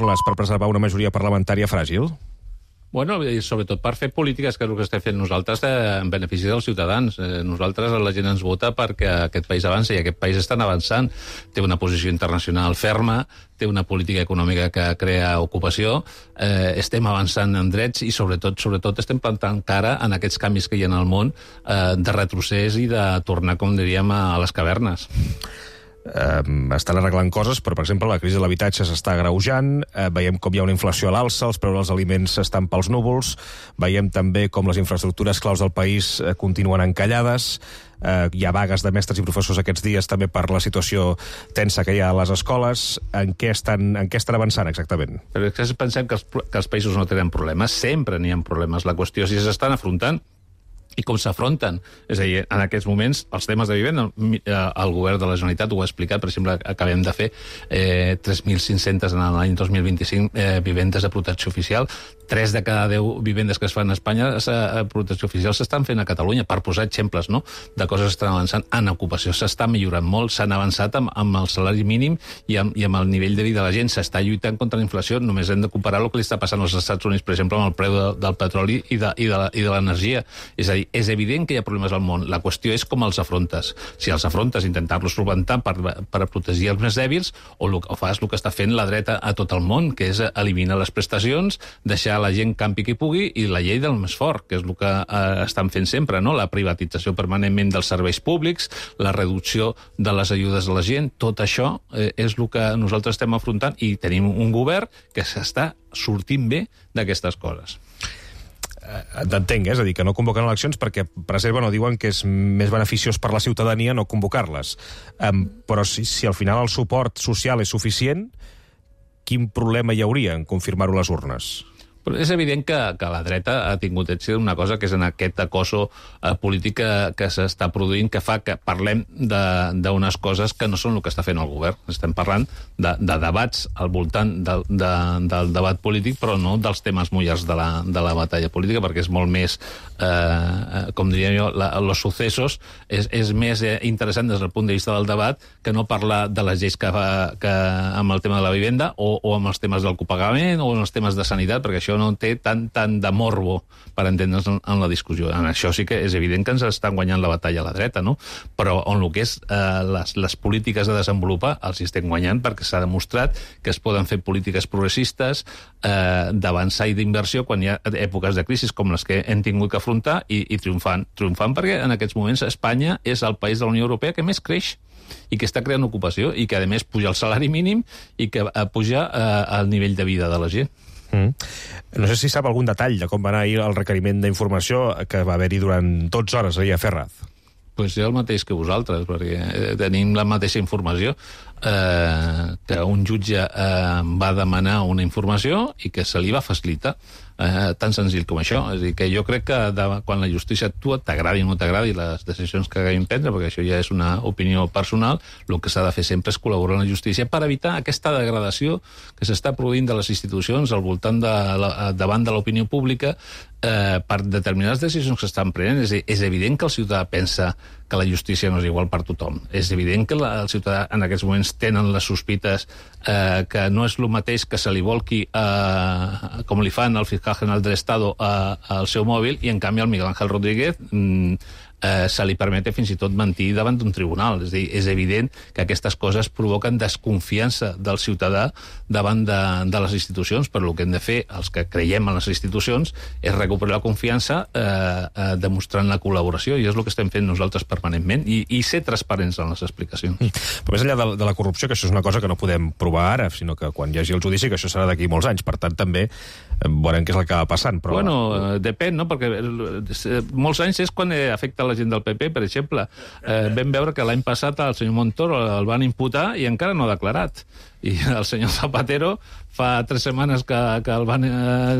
indispensables per preservar una majoria parlamentària fràgil? Bueno, i sobretot per fer polítiques, que és el que estem fent nosaltres en benefici dels ciutadans. Nosaltres, la gent ens vota perquè aquest país avança i aquest país està avançant. Té una posició internacional ferma, té una política econòmica que crea ocupació, estem avançant en drets i sobretot estem plantant cara en aquests canvis que hi ha en el món de retrocés i de tornar, com diríem, a les cavernes. Estan arreglant coses, però, per exemple, la crisi de l'habitatge s'està agreujant, veiem com hi ha una inflació a l'alça, els preus dels aliments estan pels núvols, veiem també com les infraestructures claus del país continuen encallades, hi ha vagues de mestres i professors aquests dies també per la situació tensa que hi ha a les escoles. En què estan avançant exactament? Però és que pensem que els països no tenen problemes, sempre n'hi ha problemes. La qüestió és si s'estan afrontant i com s'afronten. És a dir, en aquests moments, els temes de vivenda, el govern de la Generalitat ho ha explicat, per exemple, acabem de fer 3.500 en l'any 2025 vivendes de protecció oficial. 3 de cada 10 vivendes que es fan a Espanya a protecció oficial s'estan fent a Catalunya, per posar exemples, no?, de coses que estan avançant. En ocupació s'està millorant molt, s'han avançat amb el salari mínim i amb el nivell de vida de la gent, s'està lluitant contra la inflació. Només hem de comparar el que li està passant als Estats Units, per exemple, amb el preu del petroli i de l'energia. És a dir, és evident que hi ha problemes al món. La qüestió és com els afrontes. Si els afrontes, intentar-los solventar per protegir els més dèbils, o fas el que està fent la dreta a tot el món, que és eliminar les prestacions, deixar la gent campi qui pugui, i la llei del més fort, que és el que estan fent sempre, no? La privatització permanentment dels serveis públics, la reducció de les ajudes a la gent. Tot això és el que nosaltres estem afrontant, i tenim un govern que s'està sortint bé d'aquestes coses. T'entenc, és a dir, que no convoquen eleccions perquè preserven o diuen que és més beneficiós per la ciutadania no convocar-les. Però si al final el suport social és suficient, quin problema hi hauria en confirmar-ho a les urnes? Però és evident que la dreta ha tingut èxit una cosa, que és en aquest acoso polític que s'està produint, que fa que parlem d'unes coses que no són el que està fent el govern. Estem parlant de debats al voltant del debat polític, però no dels temes mullers de la batalla política, perquè és molt més, com diria jo, los sucesos, és més interessant des del punt de vista del debat que no parlar de les lleis que amb el tema de la vivenda o amb els temes del copagament o amb els temes de sanitat, perquè això no té tant de morbo per entendre's en la discussió. En això sí que és evident que ens estan guanyant la batalla a la dreta, no? Però on el que és les polítiques de desenvolupar els estem guanyant, perquè s'ha demostrat que es poden fer polítiques progressistes d'avançar i d'inversió quan hi ha èpoques de crisi com les que hem tingut que afrontar i triomfant perquè en aquests moments Espanya és el país de la Unió Europea que més creix i que està creant ocupació i que a més puja el salari mínim i que puja el nivell de vida de la gent. No sé si sap algun detall de com va anar ahir el requeriment d'informació que va haver-hi durant 12 hores ahir a Ferraz. Pues jo el mateix que vosaltres, perquè tenim la mateixa informació, que un jutge va demanar una informació i que se li va facilitar. Tan senzill com això. És a dir, que jo crec que quan la justícia actua, t'agradi o no t'agradi les decisions que haguem prendre, perquè això ja és una opinió personal, el que s'ha de fer sempre és col·laborar amb la justícia per evitar aquesta degradació que s'està produint de les institucions al voltant davant de l'opinió pública per determinades decisions que s'estan prenent. És evident que el ciutadà pensa que la justícia no és igual per tothom. És evident que el ciutadà en aquests moments tenen les sospites que no és el mateix que se li volqui com li fan al fiscal general del Estado al seu mòbil i en canvi al Miguel Ángel Rodríguez se li permet fins i tot mentir davant d'un tribunal. És a dir, és evident que aquestes coses provoquen desconfiança del ciutadà davant de les institucions, però el que hem de fer, els que creiem en les institucions, és recuperar la confiança demostrant la col·laboració, i és el que estem fent nosaltres permanentment, i ser transparents en les explicacions. Però més enllà de la corrupció, que això és una cosa que no podem provar ara, sinó que quan hi hagi el judici, que això serà d'aquí molts anys, per tant també veurem què és el que va passant. Però... Bueno, depèn, no?, perquè molts anys és quan afecta la gent del PP, per exemple. Vam veure que l'any passat el senyor Montoro el van imputar i encara no ha declarat. I el senyor Zapatero fa 3 setmanes que el van,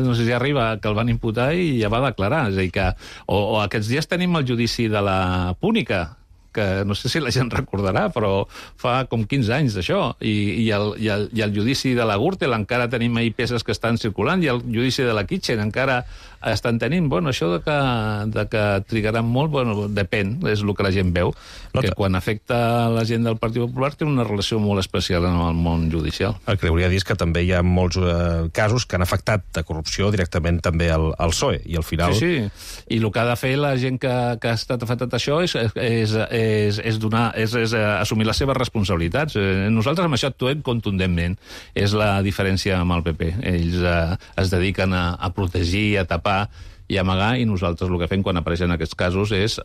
no sé si arriba, que el van imputar i ja va declarar. És a dir que, o aquests dies tenim el judici de la Púnica, que no sé si la gent recordarà, però fa com 15 anys d'això, i el judici de la Gürtel encara tenim ahí peces que estan circulant, i el judici de la Kitchen encara estan tenint. Bueno, això de que trigaran molt, bueno, depèn, és el que la gent veu, que quan afecta la gent del Partit Popular té una relació molt especial en el món judicial. El que hauria de dir és que també hi ha molts casos que han afectat de corrupció directament també al PSOE, i al final... Sí, i el que ha de fer la gent que ha estat afectat això és assumir les seves responsabilitats. Nosaltres amb això actuem contundentment. És la diferència amb el PP. Ells es dediquen a protegir, a tapar i amagar, i nosaltres el que fem quan apareixen aquests casos és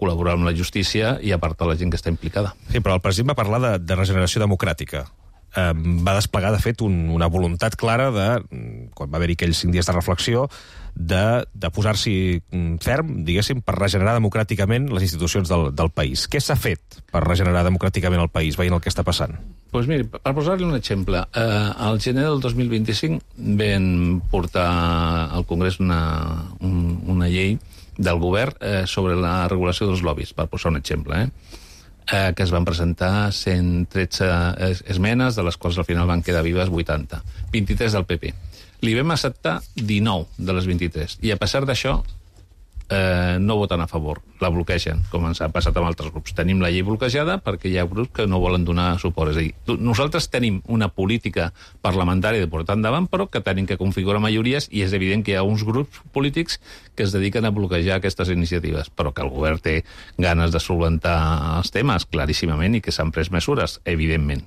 col·laborar amb la justícia i apartar la gent que està implicada. Sí, però el president va parlar de regeneració democràtica. Va desplegar, de fet, una voluntat clara quan va haver-hi aquells 5 dies de reflexió, de posar-s'hi ferm, diguéssim, per regenerar democràticament les institucions del país. Què s'ha fet per regenerar democràticament el país, veient el que està passant? Doncs miri, per posar-li un exemple, al gener del 2025 vam portar al Congrés una llei del govern sobre la regulació dels lobbies, per posar un exemple, que es van presentar 113 esmenes, de les quals al final van quedar vives 80, 23 del PP. Li vam acceptar 19 de les 23, i a pesar d'això no voten a favor, la bloquegen, com ens ha passat amb altres grups. Tenim la llei bloquejada perquè hi ha grups que no volen donar suport. És a dir, nosaltres tenim una política parlamentària de portar endavant, però que tenim que configurar majories, i és evident que hi ha uns grups polítics que es dediqen a bloquejar aquestes iniciatives, però que el govern té ganes de solventar els temes, claríssimament, i que s'han pres mesures, evidentment.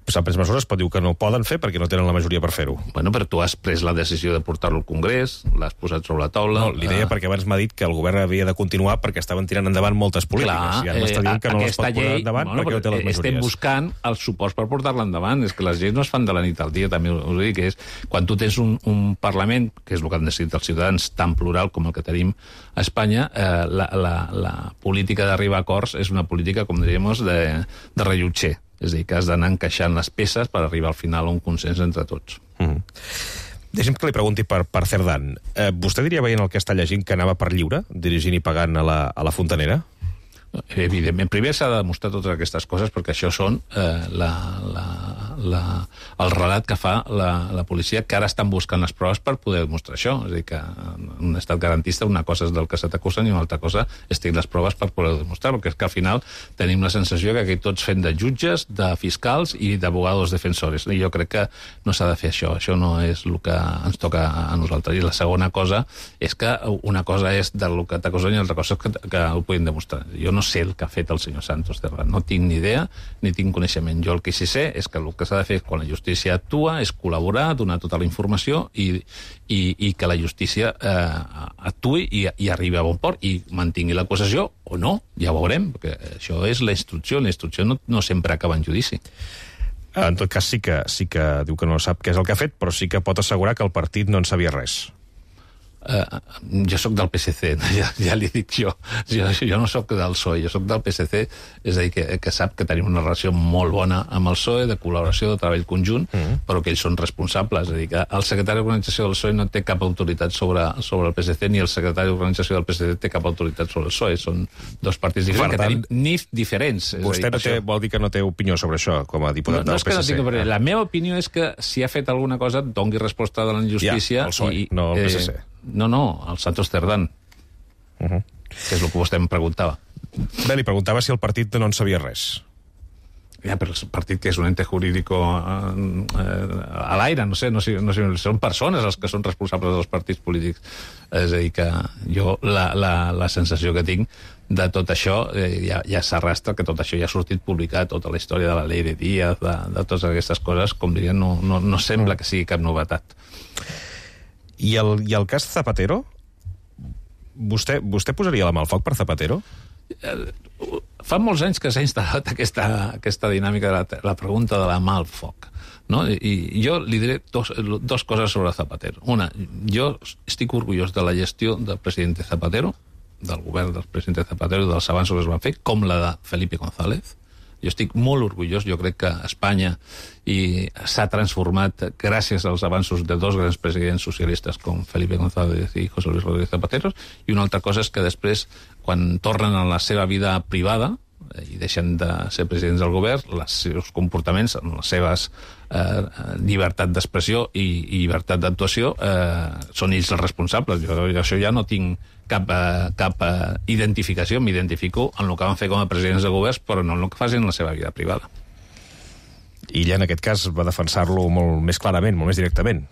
S'han pres mesures, però diu que no poden fer perquè no tenen la majoria per fer-ho. Bueno, però tu has pres la decisió de portar-lo al Congrés, l'has posat sobre la taula... No, li deia perquè abans m'ha dit que el govern havia de continuar perquè estaven tirant endavant moltes polítiques. Clar, i ara m'està dient que no les pot posar endavant perquè no té les majories. Estem buscant els suports per portar-la endavant. És que les lleis no es fan de la nit al dia, també us dic, que és quan tu tens un Parlament, que és el que han decidit els ciutadans, tan plural com el que tenim a Espanya, la política d'arribar a acords és una política, com diríem, de rellotger. És a dir, que has d'anar encaixant les peces per arribar al final a un consens entre tots. Deixi'm que li pregunti per Cerdán. Vostè diria, veient el que està llegint, que anava per lliure, dirigint i pagant a la Fontanera? Evidentment. Primer s'ha de demostrar totes aquestes coses, perquè això són el relat que fa la policia, que ara estan buscant les proves per poder demostrar això. És a dir, que en un estat garantista una cosa és del que se t'acusen i una altra cosa és tenir les proves per poder demostrar, perquè és que al final tenim la sensació que aquí tots fem de jutges, de fiscals i d'abogados defensores. I jo crec que no s'ha de fer això. Això no és el que ens toca a nosaltres. I la segona cosa és que una cosa és del que t'acusen i l'altra cosa és que ho puguin demostrar. Jo no sé el que ha fet el senyor Santos Cerdán. No tinc ni idea, ni tinc coneixement. Jo el que sí sé és que el que s'ha de fer quan la justícia actua és col·laborar, donar tota la informació i que la justícia actuï i arribi a bon port i mantingui l'acusació o no, ja ho veurem, perquè això és la instrucció. La instrucció no sempre acaba en judici. En tot cas, sí que diu que no sap què és el que ha fet, però sí que pot assegurar que el partit no en sabia res. Jo sóc del PSC, ja li dic jo no sóc del PSOE, jo sóc del PSC, és a dir, que sap que tenim una relació molt bona amb el PSOE, de col·laboració, de treball conjunt, però que ells són responsables. És a dir, que el secretari d'organització del PSOE no té cap autoritat sobre el PSC, ni el secretari d'organització del PSC té cap autoritat sobre el PSOE. Són dos partits diferents, que tenim NIF diferents. Vostè vol dir que no té opinió sobre això, com a diputat del PSC? La meva opinió és que si ha fet alguna cosa, doni resposta de la justícia. Ja, el PSOE, no el PSC. No, el Santos Cerdán, que és el que vostè em preguntava. Bé, li preguntava si el partit no en sabia res. Ja, però el partit, que és un ente jurídico a l'aire, no sé, són persones els que són responsables dels partits polítics. És a dir, que jo la sensació que tinc de tot això, ja s'arrastra, que tot això ja ha sortit publicat, tota la història de la llei de Díaz, de totes aquestes coses, com diria, no sembla que sigui cap novetat. I el cas Zapatero? Vostè posaria la mà al foc per Zapatero? Fa molts anys que s'ha instal·lat aquesta dinàmica de la pregunta de la mà al foc, no? I jo li diré dos coses sobre Zapatero. Una, jo estic orgullós de la gestió del president Zapatero, del govern del president Zapatero, dels avanços que es van fer, com la de Felipe González. Jo estic molt orgullós, jo crec que Espanya s'ha transformat gràcies als avanços de dos grans presidents socialistes com Felipe González i José Luis Rodríguez Zapatero, i una altra cosa és que després, quan tornen a la seva vida privada, i deixen de ser presidents del govern, els seus comportaments, les seves llibertat d'expressió i llibertat d'actuació són ells els responsables. Jo això ja no tinc cap identificació, m'identifico en el que van fer com a presidents de governs, però no en el que facin en la seva vida privada. I ella, en aquest cas, va defensar-lo molt més clarament, molt més directament.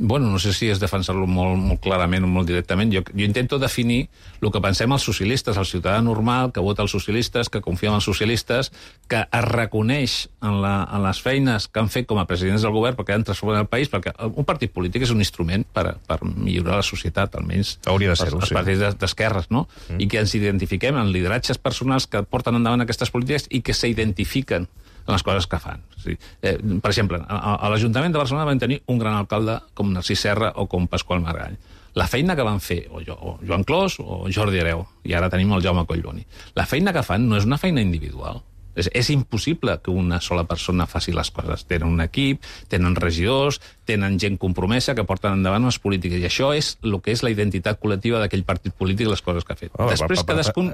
Bueno, no sé si és defensar-lo molt clarament o molt directament. Jo intento definir el que pensem els socialistes, el ciutadà normal que vota els socialistes, que confia en els socialistes, que es reconeix en les feines que han fet com a presidents del govern perquè han transformat el país, perquè un partit polític és un instrument per millorar la societat, almenys hauria de ser-ho, els partits d'esquerres, no? I que ens identifiquem en lideratges personals que porten endavant aquestes polítiques i que s'identifiquen en les coses que fan. Sí. Per exemple, a l'Ajuntament de Barcelona vam tenir un gran alcalde com Narcís Serra o com Pasqual Margall. La feina que van fer o Joan Clos o Jordi Hereu, i ara tenim el Jaume Collboni, la feina que fan no és una feina individual. És impossible que una sola persona faci les coses. Tenen un equip, tenen regidors, tenen gent compromesa que porten endavant unes polítiques. I això és el que és la identitat col·lectiva d'aquell partit polític i les coses que ha fet. Després, cadascun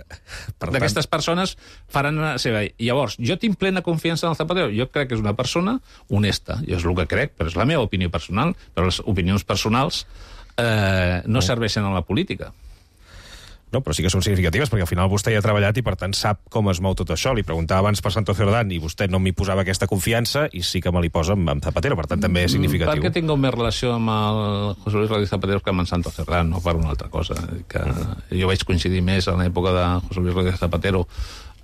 d'aquestes persones faran la seva... Llavors, jo tinc plena confiança en el Zapatero. Jo crec que és una persona honesta. Jo és el que crec, però és la meva opinió personal. Però les opinions personals no serveixen a la política. No, però sí que són significatives, perquè al final vostè hi ha treballat i, per tant, sap com es mou tot això. Li preguntava abans per Santos Cerdán i vostè no m'hi posava aquesta confiança i sí que me li posa amb Zapatero, per tant, també és significatiu. Perquè tinc més relació amb el José Luis Rodríguez Zapatero que amb en Santos Cerdán, no per una altra cosa. Jo vaig coincidir més en l'època de José Luis Rodríguez Zapatero,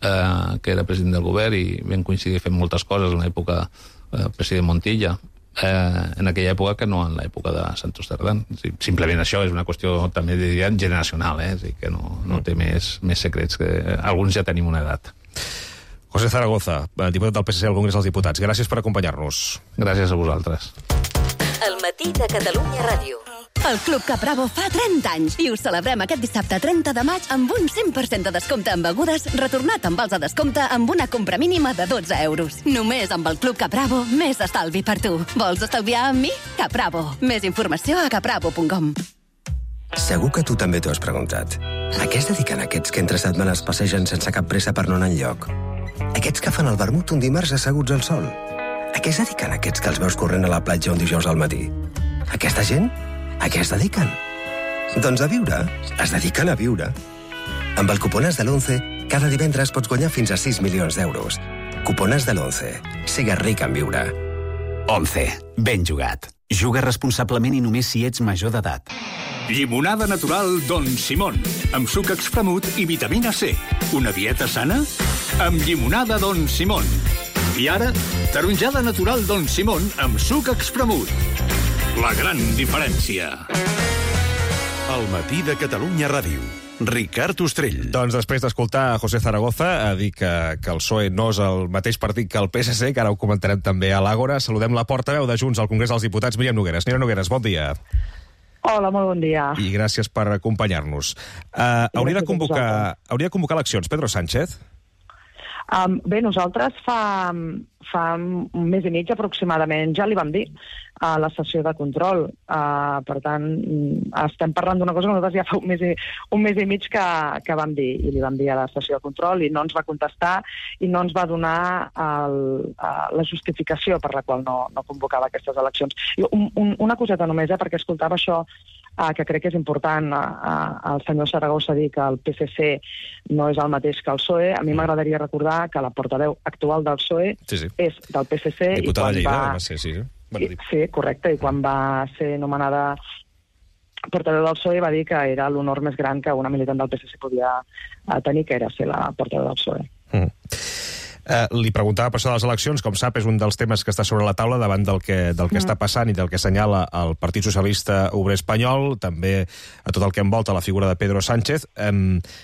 que era president del govern, i vam coincidir fent moltes coses en l'època del president Montilla, en aquella època que no en l'època de Santos Cerdán. Simplement això és una qüestió també generacional, que no té més secrets, que alguns ja tenim una edat. José Zaragoza, diputat del PSC al Congrés dels Diputats, gràcies per acompanyar-nos. Gràcies a vosaltres. El matí de Catalunya Ràdio. El Club Capravo fa 30 anys i us celebrem aquest dissabte 30 de maig amb un 100% de descompte en begudes retornat amb vals de descompte amb una compra mínima de 12 euros. Només amb el Club Capravo, més estalvi per tu. Vols estalviar amb mi? Capravo. Més informació a capravo.com. Segur que tu també t'ho has preguntat. A què es dediquen aquests que entre setmanes passegen sense cap pressa per no anar enlloc? Aquests que fan el vermut un dimarts asseguts al sol? A què es dediquen aquests que els veus corrent a la platja un dijous al matí? Aquesta gent? A què es dediquen? Doncs a viure. Es dediquen a viure. Amb el Cuponàs de l'11, cada divendres pots guanyar fins a 6 milions d'euros. Cuponàs de l'11. Sigues ric en viure. 11. Ben jugat. Juga responsablement i només si ets major d'edat. Llimonada natural Don Simón, amb suc expremut i vitamina C. Una dieta sana? Amb llimonada Don Simón. I ara, taronjada natural Don Simón amb suc expremut. La gran diferència. El matí de Catalunya Ràdio. Ricard Ostrell. Doncs després d'escoltar a José Zaragoza a dir que el PSOE no és el mateix partit que el PSC, que ara ho comentarem també a l'Àgora, saludem la portaveu de Junts al Congrés dels Diputats, Míriam Nogueras. Míriam Nogueras, bon dia. Hola, molt bon dia. I gràcies per acompanyar-nos. Hauria de convocar eleccions Pedro Sánchez? Bé, nosaltres fa un mes i mig aproximadament ja li vam dir a la sessió de control. Per tant, estem parlant d'una cosa que nosaltres ja fa un mes i mig que vam dir, i li vam dir a la sessió de control, i no ens va contestar i no ens va donar la justificació per la qual no convocava aquestes eleccions. I una coseta només, perquè escoltava això, que crec que és important, el senyor Zaragoza dir que el PSC no és el mateix que el PSOE. A mi m'agradaria recordar que la portaveu actual del PSOE és del PSC. Diputada de Lleida, va ser, sí. Sí, correcte, i quan va ser nomenada portaveu del PSOE va dir que era l'honor més gran que una militant del PSC podia tenir, que era ser la portaveu del PSOE. Li preguntava per això de les eleccions, com sap, és un dels temes que està sobre la taula davant del que està passant i del que assenyala el Partit Socialista Obrer Espanyol, també a tot el que envolta la figura de Pedro Sánchez.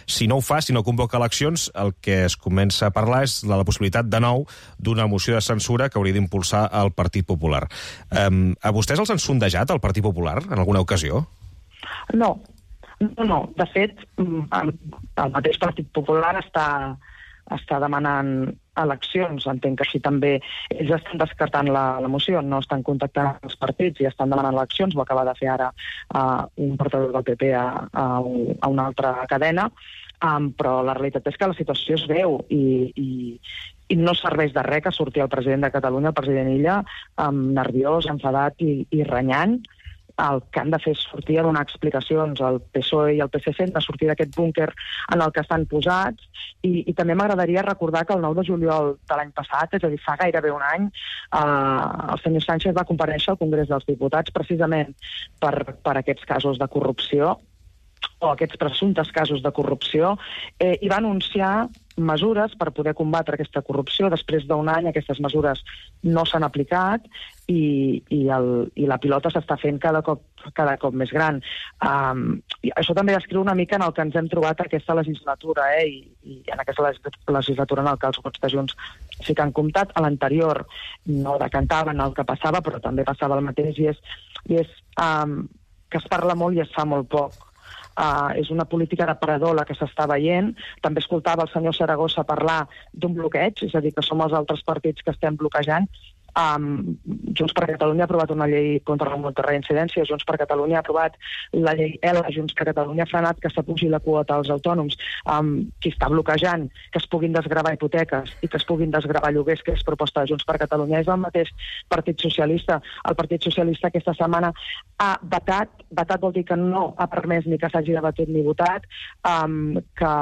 Si no ho fa, si no convoca eleccions, el que es comença a parlar és de la possibilitat de nou d'una moció de censura que hauria d'impulsar el Partit Popular. A vostès els han sondejat el Partit Popular en alguna ocasió? No. De fet, el mateix Partit Popular està demanant eleccions. Entenc que així també ells estan descartant la moció, no estan contactant els partits i estan demanant eleccions. Ho acaba de fer ara un portaveu del PP a una altra cadena, però la realitat és que la situació es veu i no serveix de res que surti el president de Catalunya, el president Illa, nerviós, enfadat i renyant. El que han de fer és sortir a donar explicacions. El PSOE i el PSC han de sortir d'aquest búnquer en el que estan posats i també m'agradaria recordar que el 9 de juliol de l'any passat, és a dir, fa gairebé un any, el senyor Sánchez va comparèixer al Congrés dels Diputats precisament per aquests casos de corrupció o aquests presumptes casos de corrupció i va anunciar mesures per poder combatre aquesta corrupció. Després d'un any aquestes mesures no s'han aplicat i la pilota s'està fent cada cop més gran. I això també descriu una mica en el que ens hem trobat aquesta legislatura, i en aquesta legislatura en el que els vots de Junts sí que han comptat. A l'anterior no decantaven el que passava, però també passava el mateix, i és que es parla molt i es fa molt poc. És una política d'aparador la que s'està veient. També escoltava el senyor Saragossa parlar d'un bloqueig, és a dir, que som els altres partits que estem bloquejant. Junts per Catalunya ha aprovat una llei contra la multireincidència, Junts per Catalunya ha aprovat la llei ELA, Junts per Catalunya ha frenat que s'apugi la quota als autònoms. Qui està bloquejant que es puguin desgravar hipoteques i que es puguin desgravar lloguers, que és proposta de Junts per Catalunya, és el mateix Partit Socialista. El Partit Socialista aquesta setmana ha vetat vol dir que no ha permès ni que s'hagi debatut ni votat, que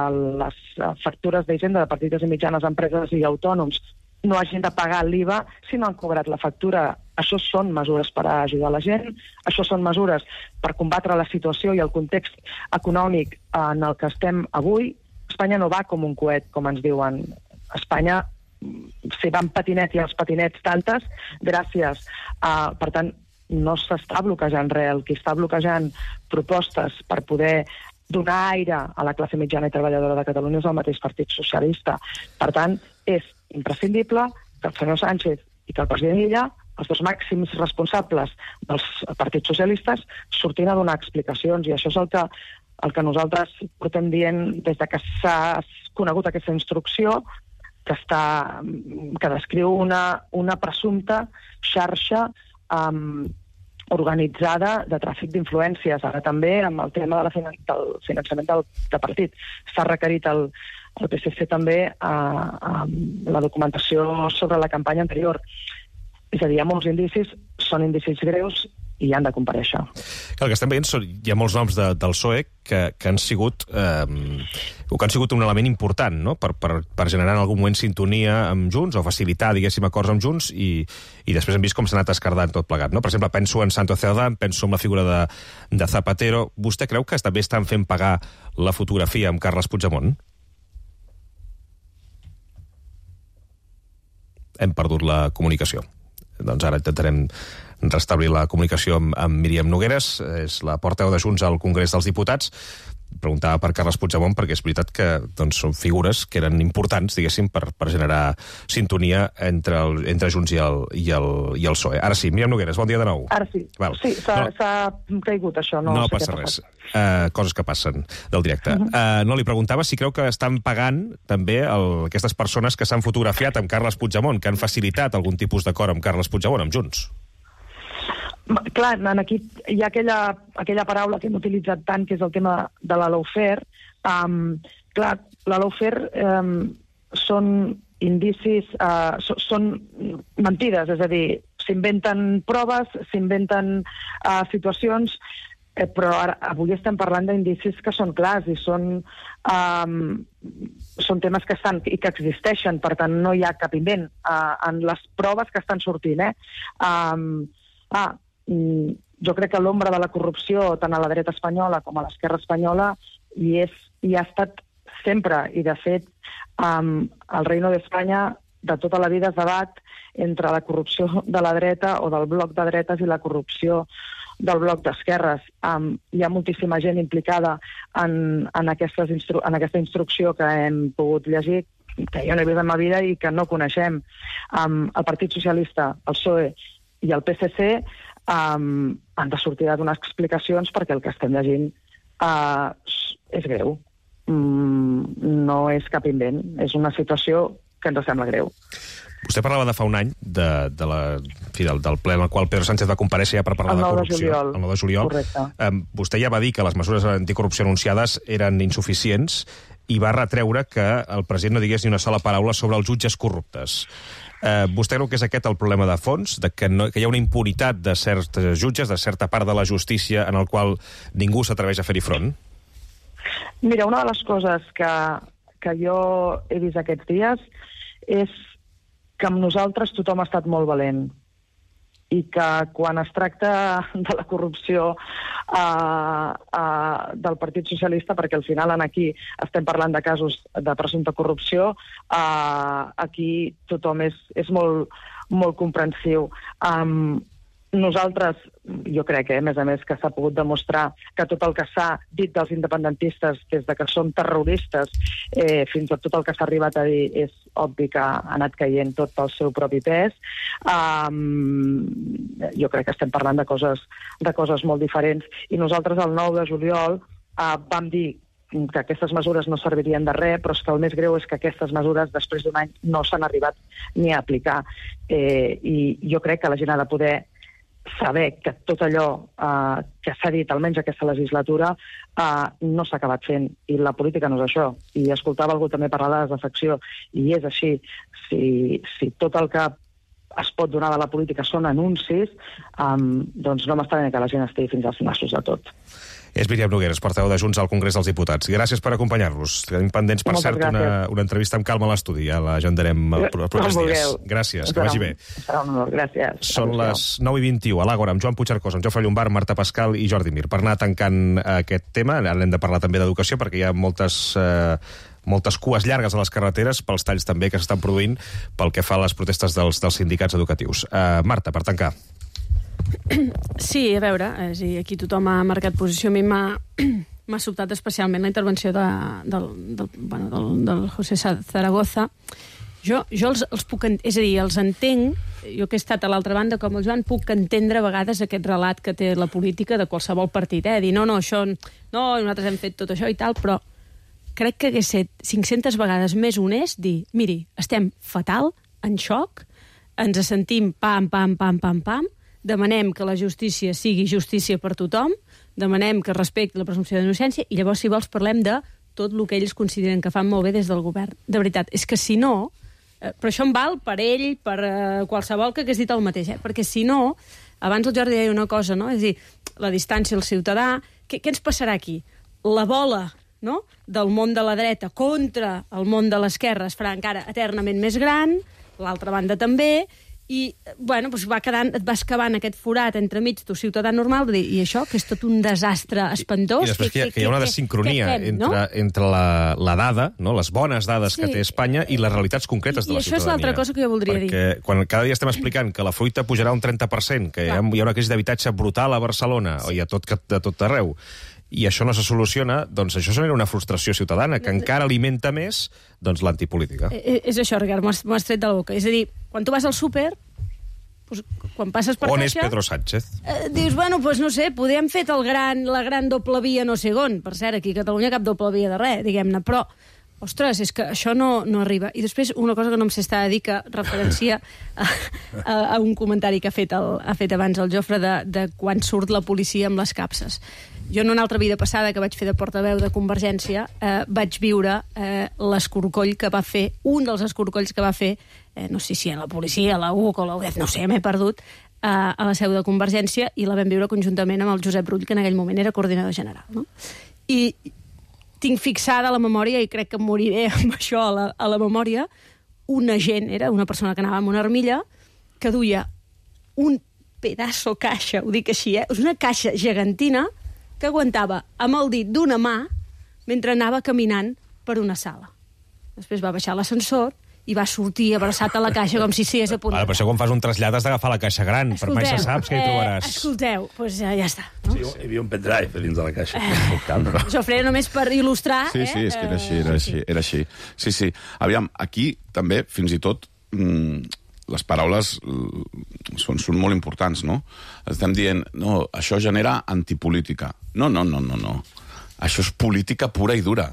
les factures d'Hisenda de petites i mitjanes empreses i autònoms no hagin de pagar l'IVA si no han cobrat la factura. Això són mesures per ajudar la gent, això són mesures per combatre la situació i el context econòmic en el que estem avui. Espanya no va com un coet, com ens diuen. Espanya s'hi va en patinet i els patinets tantes, gràcies. Per tant, no s'està bloquejant res. El que està bloquejant propostes per poder donar aire a la classe mitjana i treballadora de Catalunya és el mateix Partit Socialista. Per tant, és imprescindible que el senyor Sánchez i que el president Illa, els dos màxims responsables dels partits socialistes, surtin a donar explicacions, i això és el que nosaltres portem dient des de que s'ha conegut aquesta instrucció, que descriu una presumpta xarxa organitzada de tràfic d'influències. Ara també, amb el tema del finançament del partit, s'ha requerit el PSC també la documentació sobre la campanya anterior. És a dir, hi ha molts indicis, són indicis greus i han de comparèixer. El que estem veient hi ha molts noms del PSOE que han sigut un element important, no? per generar en algun moment sintonia amb Junts o facilitar, diguéssim, acords amb Junts, i després hem vist com s'ha anat escardant tot plegat, no? Per exemple, penso en Santos Cerdán, penso en la figura de Zapatero. Vostè creu que també estan fent pagar la fotografia amb Carles Puigdemont? Hem perdut la comunicació. Doncs ara intentarem restablir la comunicació amb Míriam Nogueras, és la portaveu de Junts al Congrés dels Diputats. Preguntava per Carles Puigdemont perquè és veritat que són figures que eren importants, diguéssim, per generar sintonia entre Junts i el PSOE. Ara sí, Míriam Nogueras, bon dia de nou. Ara sí. Sí, s'ha caigut això. No passa res. Coses que passen del directe. No, li preguntava si creu que estan pagant també aquestes persones que s'han fotografiat amb Carles Puigdemont, que han facilitat algun tipus d'acord amb Carles Puigdemont, amb Junts. Clar, aquí hi ha aquella paraula que hem utilitzat tant, que és el tema de la lawfare. Clar, la lawfare són indicis, són mentides, és a dir, s'inventen proves, s'inventen situacions, però avui estem parlant d'indicis que són clars i són temes que estan i que existeixen, per tant no hi ha cap invent en les proves que estan sortint. Jo crec que l'ombra de la corrupció, tant a la dreta espanyola com a l'esquerra espanyola, hi ha estat sempre. I, de fet, el Reino d'Espanya de tota la vida es debat entre la corrupció de la dreta o del bloc de dretes i la corrupció del bloc d'esquerres. Hi ha moltíssima gent implicada en aquesta instrucció que hem pogut llegir, que jo no he vist en ma vida i que no coneixem. El Partit Socialista, el PSOE i el PSC han de sortir a donar explicacions perquè el que estem llegint és greu. No és cap invent. És una situació que ens sembla greu. Vostè parlava de fa un any del ple en el qual Pedro Sánchez va comparèixer ja per parlar de corrupció. El 9 de juliol. Correcte. Vostè ja va dir que les mesures anticorrupció anunciades eren insuficients i va retreure que el president no digués ni una sola paraula sobre els jutges corruptes. Vostè creu que és aquest el problema de fons, que hi ha una impunitat de certs jutges, de certa part de la justícia en el qual ningú s'atreveix a fer-hi front? Mira, una de les coses que jo he vist aquests dies és que amb nosaltres tothom ha estat molt valent i que quan es tracta de la corrupció del Partit Socialista, perquè al final aquí estem parlant de casos de presumpta corrupció, aquí tothom és molt, molt comprensiu. Nosaltres, jo crec, a més, que s'ha pogut demostrar que tot el que s'ha dit dels independentistes, des de que són terroristes, fins a tot el que s'ha arribat a dir, és obvi que ha anat caient tot pel seu propi pes. Jo crec que estem parlant de coses molt diferents. I nosaltres, el 9 de juliol, vam dir que aquestes mesures no servirien de res, però és que el més greu és que aquestes mesures, després d'un any, no s'han arribat ni a aplicar. I jo crec que la gent ha de poder saber que tot allò que s'ha dit, almenys aquesta legislatura, no s'ha acabat fent. I la política no és això. I escoltava algú també parlar de desafecció, i és així. Si tot el que es pot donar de la política són anuncis, doncs no m'estranya que la gent estigui fins als nassos de tot. És Míriam Nogueras, portaveu de Junts al Congrés dels Diputats. Gràcies per acompanyar-nos. Tenim pendents, per cert, una entrevista amb calma a l'estudi. Ja la agendarem els propers dies. Gràcies, que vagi bé. Serà un honor, gràcies. Són les 9:21 a l'Àgora, amb Joan Puigcercós, amb Jofre Llombart, Marta Pascal i Jordi Mir. Per anar tancant aquest tema, ara hem de parlar també d'educació, perquè hi ha moltes cues llargues a les carreteres, pels talls també que s'estan produint pel que fa a les protestes dels sindicats educatius. Marta, per tancar. Sí, a veure, aquí tothom ha marcat posició. A mi m'ha sobtat especialment la intervenció del José Zaragoza. Jo els puc... És a dir, els entenc, jo que he estat a l'altra banda com el Joan, puc entendre a vegades aquest relat que té la política de qualsevol partit, dir, no, això... No, nosaltres hem fet tot això i tal, però crec que hagués set 500 vegades més honest dir, miri, estem fatal, en xoc, ens sentim pam, demanem que la justícia sigui justícia per tothom, demanem que respecti la presumpció d'innocència i llavors, si vols, parlem de tot el que ells consideren que fan molt bé des del govern. De veritat, és que si no... Però això em val per ell, per qualsevol que hagués dit el mateix, perquè si no... Abans el Jordi deia una cosa, no? És a dir, la distància al ciutadà... Què ens passarà aquí? La bola, no?, del món de la dreta contra el món de l'esquerra es farà encara eternament més gran, l'altra banda també... I, bueno, doncs et vas cavant aquest forat entremig tu ciutadà normal, i això, que és tot un desastre espantós. I després que hi ha una desincronia entre la dada, no? Les bones dades que té Espanya i les realitats concretes de la ciutadania. I això és l'altra cosa que jo voldria dir. Perquè quan cada dia estem explicant que la fruita pujarà un 30%, que hi ha una crisi d'habitatge brutal a Barcelona i a tot arreu, i això no se soluciona, doncs això genera una frustració ciutadana que encara alimenta més l'antipolítica. És això, Ricard, m'ho has tret de la boca. És a dir, quan tu vas al súper, quan passes per on caixa... és Pedro Sánchez? Dius, bueno, doncs no sé, podríem fer la gran doble via no sé on. Per cert, aquí a Catalunya cap doble via de res, diguem-ne, però... Ostres, és que això no arriba. I després, una cosa que no em sé estar a dir, que referencia a un comentari que ha fet abans el Jofre de quan surt la policia amb les capses. Jo, en una altra vida passada, que vaig fer de portaveu de Convergència, vaig viure l'escorcoll que va fer, un dels escorcolls que va fer, no sé si a la policia, a la UC o a la UDEF, no sé, m'he perdut, a la seu de Convergència, i la vam viure conjuntament amb el Josep Rull, que en aquell moment era coordinador general. No? I tinc fixada a la memòria, i crec que moriré amb això a la memòria, un agent, era una persona que anava amb una armilla, que duia un pedaço caixa, ho dic així, és una caixa gegantina que aguantava amb el dit d'una mà mentre anava caminant per una sala. Després va baixar l'ascensor i va sortir abraçat a la caixa com si estigués a punt. Per això quan fas un trasllat has d'agafar la caixa gran, per mai se saps que hi trobaràs. Escolteu, doncs ja està. No? Sí, hi havia un pendrive dins de la caixa. Això ho feia només per il·lustrar. Sí, és que era així. Sí. Aviam, aquí també, fins i tot, les paraules són molt importants, no? Estem dient, no, això genera antipolítica. No. Això és política pura i dura,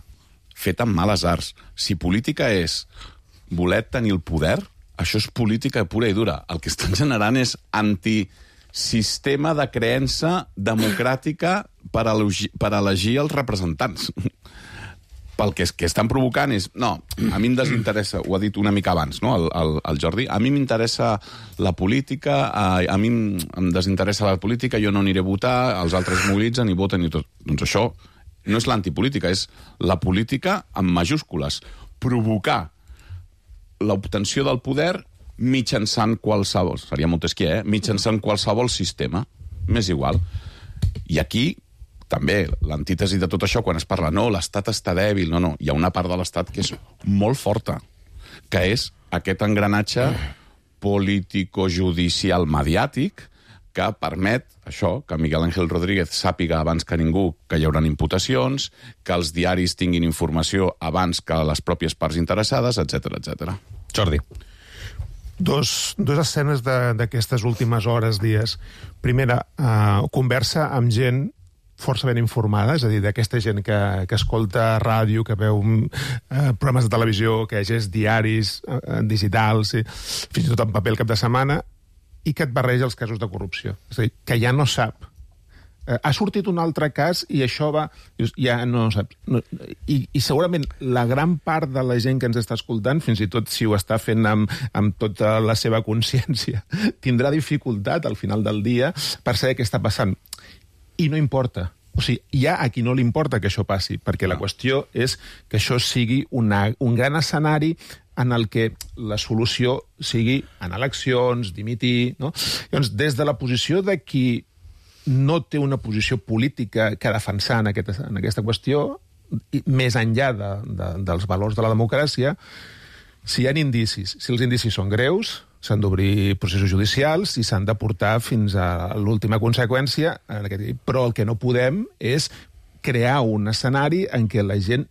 feta amb males arts. Si política és voler tenir el poder, això és política pura i dura. El que estan generant és antisistema de creença democràtica per elegir els representants. Pel que estan provocant és... No, a mi em desinteressa, ho ha dit una mica abans, no, el Jordi, a mi m'interessa la política, a mi em desinteressa la política, jo no aniré a votar, els altres mobilitzen i voten i tot. Doncs això no és l'antipolítica, és la política amb majúscules. Provocar l'obtenció del poder mitjançant qualsevol... Seria Montesquieu, mitjançant qualsevol sistema. M'és igual. I aquí... també l'antítesi de tot això, quan es parla, no, l'Estat està dèbil, no, hi ha una part de l'Estat que és molt forta, que és aquest engranatge político-judicial mediàtic que permet això, que Miguel Ángel Rodríguez sàpiga abans que ningú que hi haurà imputacions, que els diaris tinguin informació abans que les pròpies parts interessades, etc. Jordi. Dos escenes d'aquestes últimes hores, dies. Primera, conversa amb gent força ben informada, és a dir, d'aquesta gent que escolta ràdio, que veu programes de televisió, que llegeix diaris digitals, fins i tot en paper el cap de setmana, i que et barreja els casos de corrupció. És a dir, que ja no sap. Ha sortit un altre cas i això va... Ja no saps. I segurament la gran part de la gent que ens està escoltant, fins i tot si ho està fent amb tota la seva consciència, tindrà dificultat al final del dia per saber què està passant. I no importa. O sigui, hi ha a qui no li importa que això passi, perquè la qüestió és que això sigui un gran escenari en el que la solució sigui en eleccions, dimitir... No? Llavors, des de la posició de qui no té una posició política que defensar en aquesta qüestió, més enllà dels valors de la democràcia, si hi ha indicis, si els indicis són greus, s'han d'obrir processos judicials i s'han de portar fins a l'última conseqüència. Però el que no podem és crear un escenari en què la gent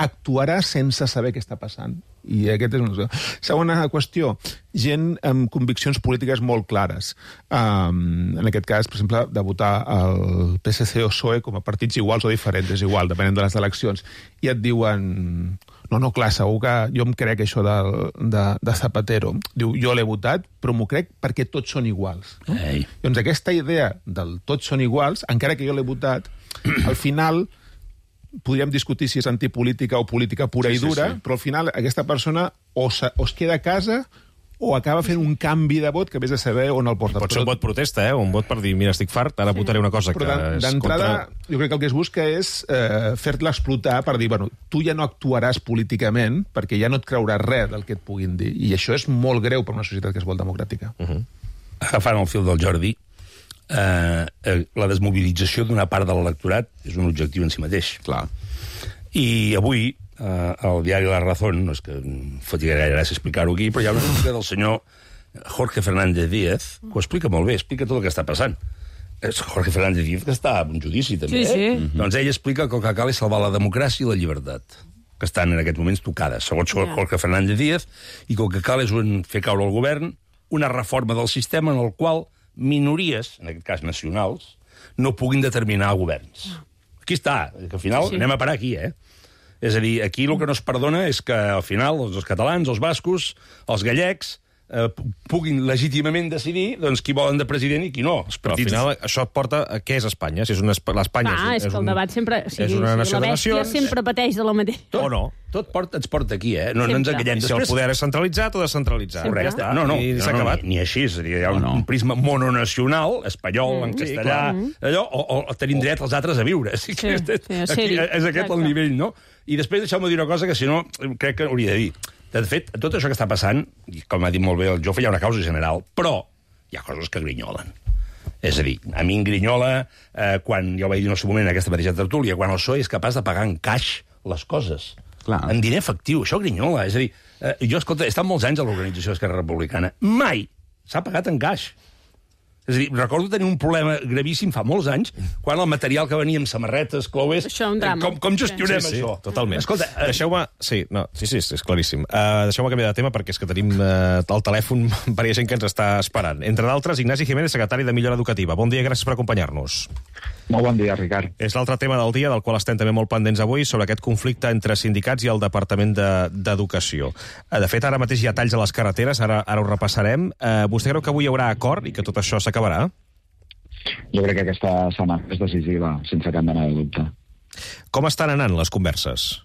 actuarà sense saber què està passant. I aquest és una... Segona qüestió, gent amb conviccions polítiques molt clares. En aquest cas, per exemple, de votar el PSC o PSOE com a partits iguals o diferents, és igual, depenent de les eleccions. I et diuen... No, clar, segur que jo em crec això de Zapatero. Diu, jo l'he votat, però m'ho crec perquè tots són iguals. No? Doncs aquesta idea del tots són iguals, encara que jo l'he votat, al final podríem discutir si és antipolítica o política pura i dura, però al final aquesta persona o es queda a casa o acaba fent un canvi de vot que vés a saber on el porta. Pot ser un vot protesta, un vot per dir, mira, estic fart, ara votaré una cosa que és d'entrada, jo crec que el que es busca és fer-la explotar per dir, bueno, tu ja no actuaràs políticament perquè ja no et creuràs res del que et puguin dir. I això és molt greu per una societat que es vol democràtica. Agafant el fil del Jordi, la desmobilització d'una part de l'electorat és un objectiu en si mateix. Clar. I avui el diari La Razón, no és que em foti gaire gràcia explicar-ho aquí, però hi ha una notícia del senyor Jorge Fernández Díaz, que ho explica molt bé, explica tot el que està passant. És Jorge Fernández Díaz, que està en un judici, també. Sí. Doncs ell explica que el que cal és salvar la democràcia i la llibertat, que estan en aquests moments tocades, segons Jorge Fernández Díaz, i que el que cal és fer caure el govern una reforma del sistema en el qual minories, en aquest cas nacionals, no puguin determinar governs. Aquí està, que al final anem a parar aquí, És a dir, aquí el que no es perdona és que al final els catalans, els bascos, els gallecs, puguin legítimament decidir doncs, qui volen de president i qui no. Però al final això porta a què és Espanya? Si és l'Espanya és que el debat sempre... És una nació de nacions... La bèstia sempre pateix de la mateixa. O no. Tot ens porta aquí, No ens enganyem. Si el poder és centralitzat o descentralitzat. Correcte. No, ni així. Hi ha un prisma mononacional, espanyol, en castellà, allò, o tenim dret els altres a viure. És aquest el nivell, no? I després deixeu-me dir una cosa que, si no, crec que hauria de dir. De fet, tot això que està passant, i com ha dit molt bé el Jofre, hi ha una causa general, però hi ha coses que grinyolen. És a dir, a mi em grinyola, quan jo vaig dir en el seu moment en aquesta mateixa tertúlia, quan el PSOE és capaç de pagar en caix les coses. Clar. En diner efectiu, això grinyola. És a dir, jo, escolta, he estat molts anys a l'organització d'Esquerra Republicana. Mai s'ha pagat en caix. És a dir, recordo tenir un problema gravíssim fa molts anys, quan el material que venia amb samarretes, clowers... Això, un drama. Com gestionem això? Totalment. Escolta, deixeu-me... Sí, és claríssim. Deixeu-me canviar de tema, perquè és que tenim al telèfon varia gent que ens està esperant. Entre d'altres, Ignasi Jiménez, secretari de Millora Educativa. Bon dia, gràcies per acompanyar-nos. Molt bon dia, Ricard. És l'altre tema del dia, del qual estem també molt pendents avui, sobre aquest conflicte entre sindicats i el Departament d'Educació. De fet, ara mateix hi ha talls a les carreteres, ara ho repassarem. Vostè creu que avui hi haurà acord i que tot això s'acabarà? Jo crec que aquesta setmana és decisiva, sense cap mena de dubte. Com estan anant les converses?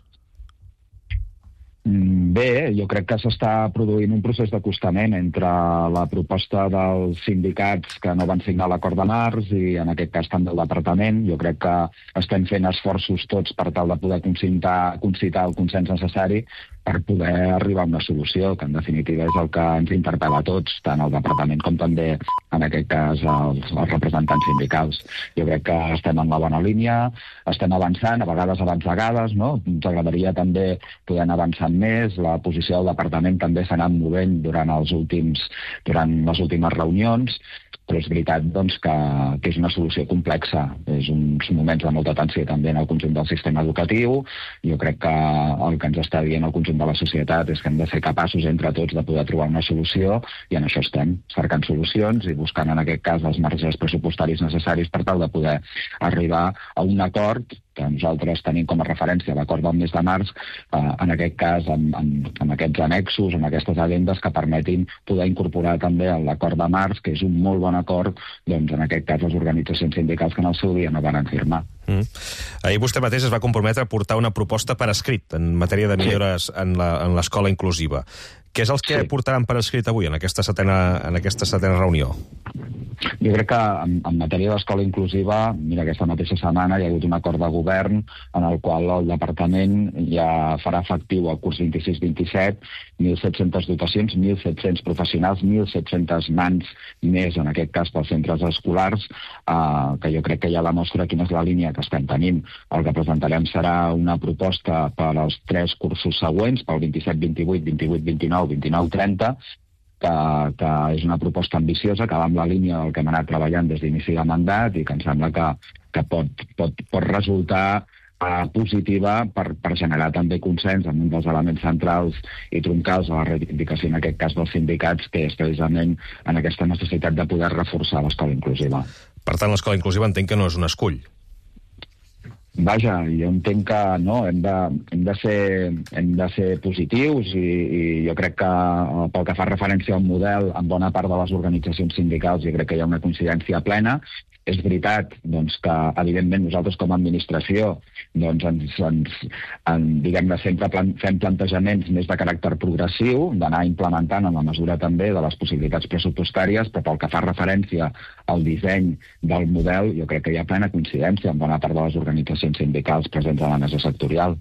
Bé, jo crec que s'està produint un procés d'acostament entre la proposta dels sindicats que no van signar l'acord de març i, en aquest cas, tant del departament. Jo crec que estem fent esforços tots per tal de poder concitar el consens necessari per poder arribar a una solució, que en definitiva és el que ens interpel·la a tots, tant el departament com també, en aquest cas, els representants sindicals. Jo crec que estem en la bona línia, estem avançant, a vegades avançagades, no? Ens agradaria també poder anar avançant més, la posició del departament també s'ha anat movent durant les últimes reunions, però és veritat doncs, que és una solució complexa. És uns moments de molta tensió també en el conjunt del sistema educatiu. Jo crec que el que ens està dient el conjunt de la societat és que hem de ser capaços entre tots de poder trobar una solució, i en això estem, cercant solucions i buscant en aquest cas els marges pressupostaris necessaris per tal de poder arribar a un acord que nosaltres tenim com a referència l'acord del mes de març, en aquest cas amb aquests annexos, amb aquestes agendes que permetin poder incorporar també l'acord de març, que és un molt bon acord, doncs en aquest cas les organitzacions sindicals que en el seu dia no van firmar. Ahir vostè mateix es va comprometre a portar una proposta per escrit en matèria de millores en l'escola inclusiva. Què és el que portaran per escrit avui en aquesta setena reunió? Jo crec que en matèria d'escola inclusiva, mira, aquesta mateixa setmana hi ha hagut un acord de govern en el qual el departament ja farà efectiu el curs 26-27 1.700 dotacions, 1.700 professionals, 1.700 mans més, en aquest cas pels centres escolars, que jo crec que ja demostra quina és la línia que estem tenint. El que presentarem serà una proposta per als 3 cursos següents, pel 27-28, 28-29, 29-30, que és una proposta ambiciosa, que va amb la línia del que hem anat treballant des d'inici de mandat i que em sembla que pot resultar positiva per generar també consens en un dels elements centrals i troncals de la reivindicació, en aquest cas dels sindicats, que és precisament en aquesta necessitat de poder reforçar l'escola inclusiva. Per tant, l'escola inclusiva entenc que no és un escull. Vaja, jo entenc que no, hem de ser positius i jo crec que pel que fa referència al model, en bona part de les organitzacions sindicals jo crec que hi ha una coincidència plena. És veritat doncs, que, evidentment, nosaltres com a administració doncs, diguem-ne, sempre fem plantejaments més de caràcter progressiu, d'anar implementant en la mesura també de les possibilitats pressupostàries, però pel que fa referència al disseny del model, jo crec que hi ha plena coincidència amb bona part de les organitzacions sindicals presents a la mesa sectorial.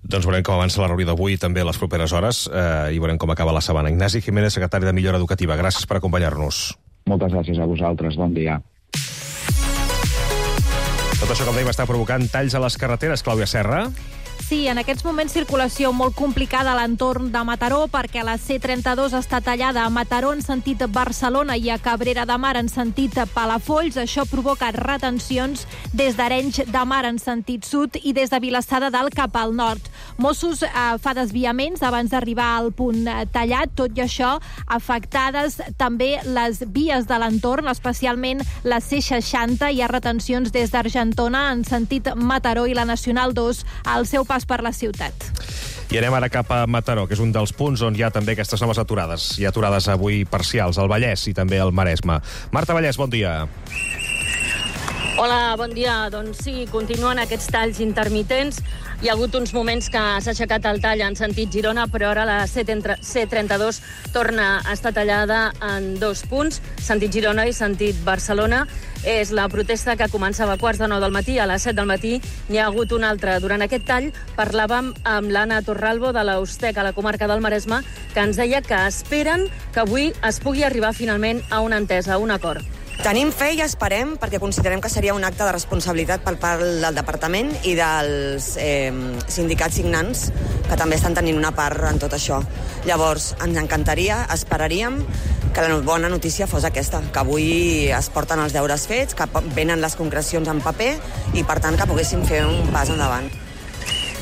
Doncs veurem com avança la reunió d'avui també a les properes hores i veurem com acaba la setmana. Ignasi Jiménez, secretari de Millora Educativa. Gràcies per acompanyar-nos. Moltes gràcies a vosaltres. Bon dia. Tot això, com dèiem, està provocant talls a les carreteres. Clàudia Serra. Sí, en aquests moments circulació molt complicada a l'entorn de Mataró, perquè la C32 està tallada a Mataró en sentit Barcelona i a Cabrera de Mar en sentit Palafolls. Això provoca retencions des d'Arenys de Mar en sentit sud i des de Vilassar de Dalt cap al nord. Mossos fa desviaments abans d'arribar al punt tallat, tot i això afectades també les vies de l'entorn, especialment la C60. Hi ha retencions des d'Argentona en sentit Mataró i la Nacional 2 al seu pas per la ciutat. I anem ara cap a Mataró, que és un dels punts on hi ha també aquestes noves aturades. Hi ha aturades avui parcials al Vallès i també al Maresme. Marta Vallès, bon dia. Hola, bon dia. Doncs sí, continuen aquests talls intermitents. Hi ha hagut uns moments que s'ha aixecat el tall en sentit Girona, però ara la C32 torna a estar tallada en 2 punts, sentit Girona i sentit Barcelona. És la protesta que començava a 8:45 del matí. A les 7 del matí n'hi ha hagut una altra. Durant aquest tall parlàvem amb l'Anna Torralbo de l'Ustec a la comarca del Maresme, que ens deia que esperen que avui es pugui arribar finalment a una entesa, a un acord. Tenim fe i esperem, perquè considerem que seria un acte de responsabilitat per part del departament i dels sindicats signants, que també estan tenint una part en tot això. Llavors, ens encantaria, esperaríem que la bona notícia fos aquesta, que avui es porten els deures fets, que venen les concrecions en paper i, per tant, que poguéssim fer un pas endavant.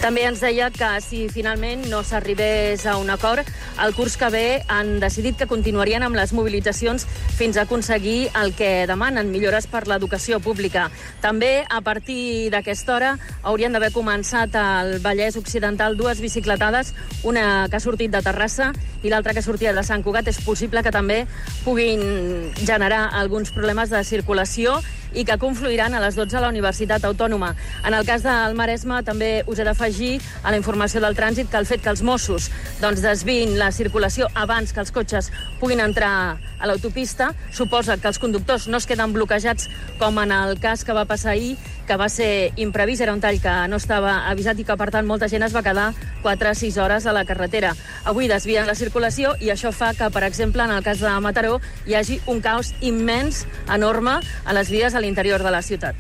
També ens deia que si finalment no s'arribés a un acord, el curs que ve han decidit que continuarien amb les mobilitzacions fins a aconseguir el que demanen, millores per l'educació pública. També, a partir d'aquesta hora, haurien d'haver començat al Vallès Occidental 2 bicicletades, una que ha sortit de Terrassa i l'altra que sortia de Sant Cugat. És possible que també puguin generar alguns problemes de circulació i que confluiran a les 12 a la Universitat Autònoma. En el cas del Maresme també us he d'afegir a la informació del trànsit que el fet que els Mossos desviïn la circulació abans que els cotxes puguin entrar a l'autopista suposa que els conductors no es queden bloquejats com en el cas que va passar ahir, que va ser imprevist, era un tall que no estava avisat i que, per tant, molta gent es va quedar 4 a 6 hores a la carretera. Avui desvien la circulació i això fa que, per exemple, en el cas de Mataró, hi hagi un caos immens, enorme, a les vies a l'interior de la ciutat.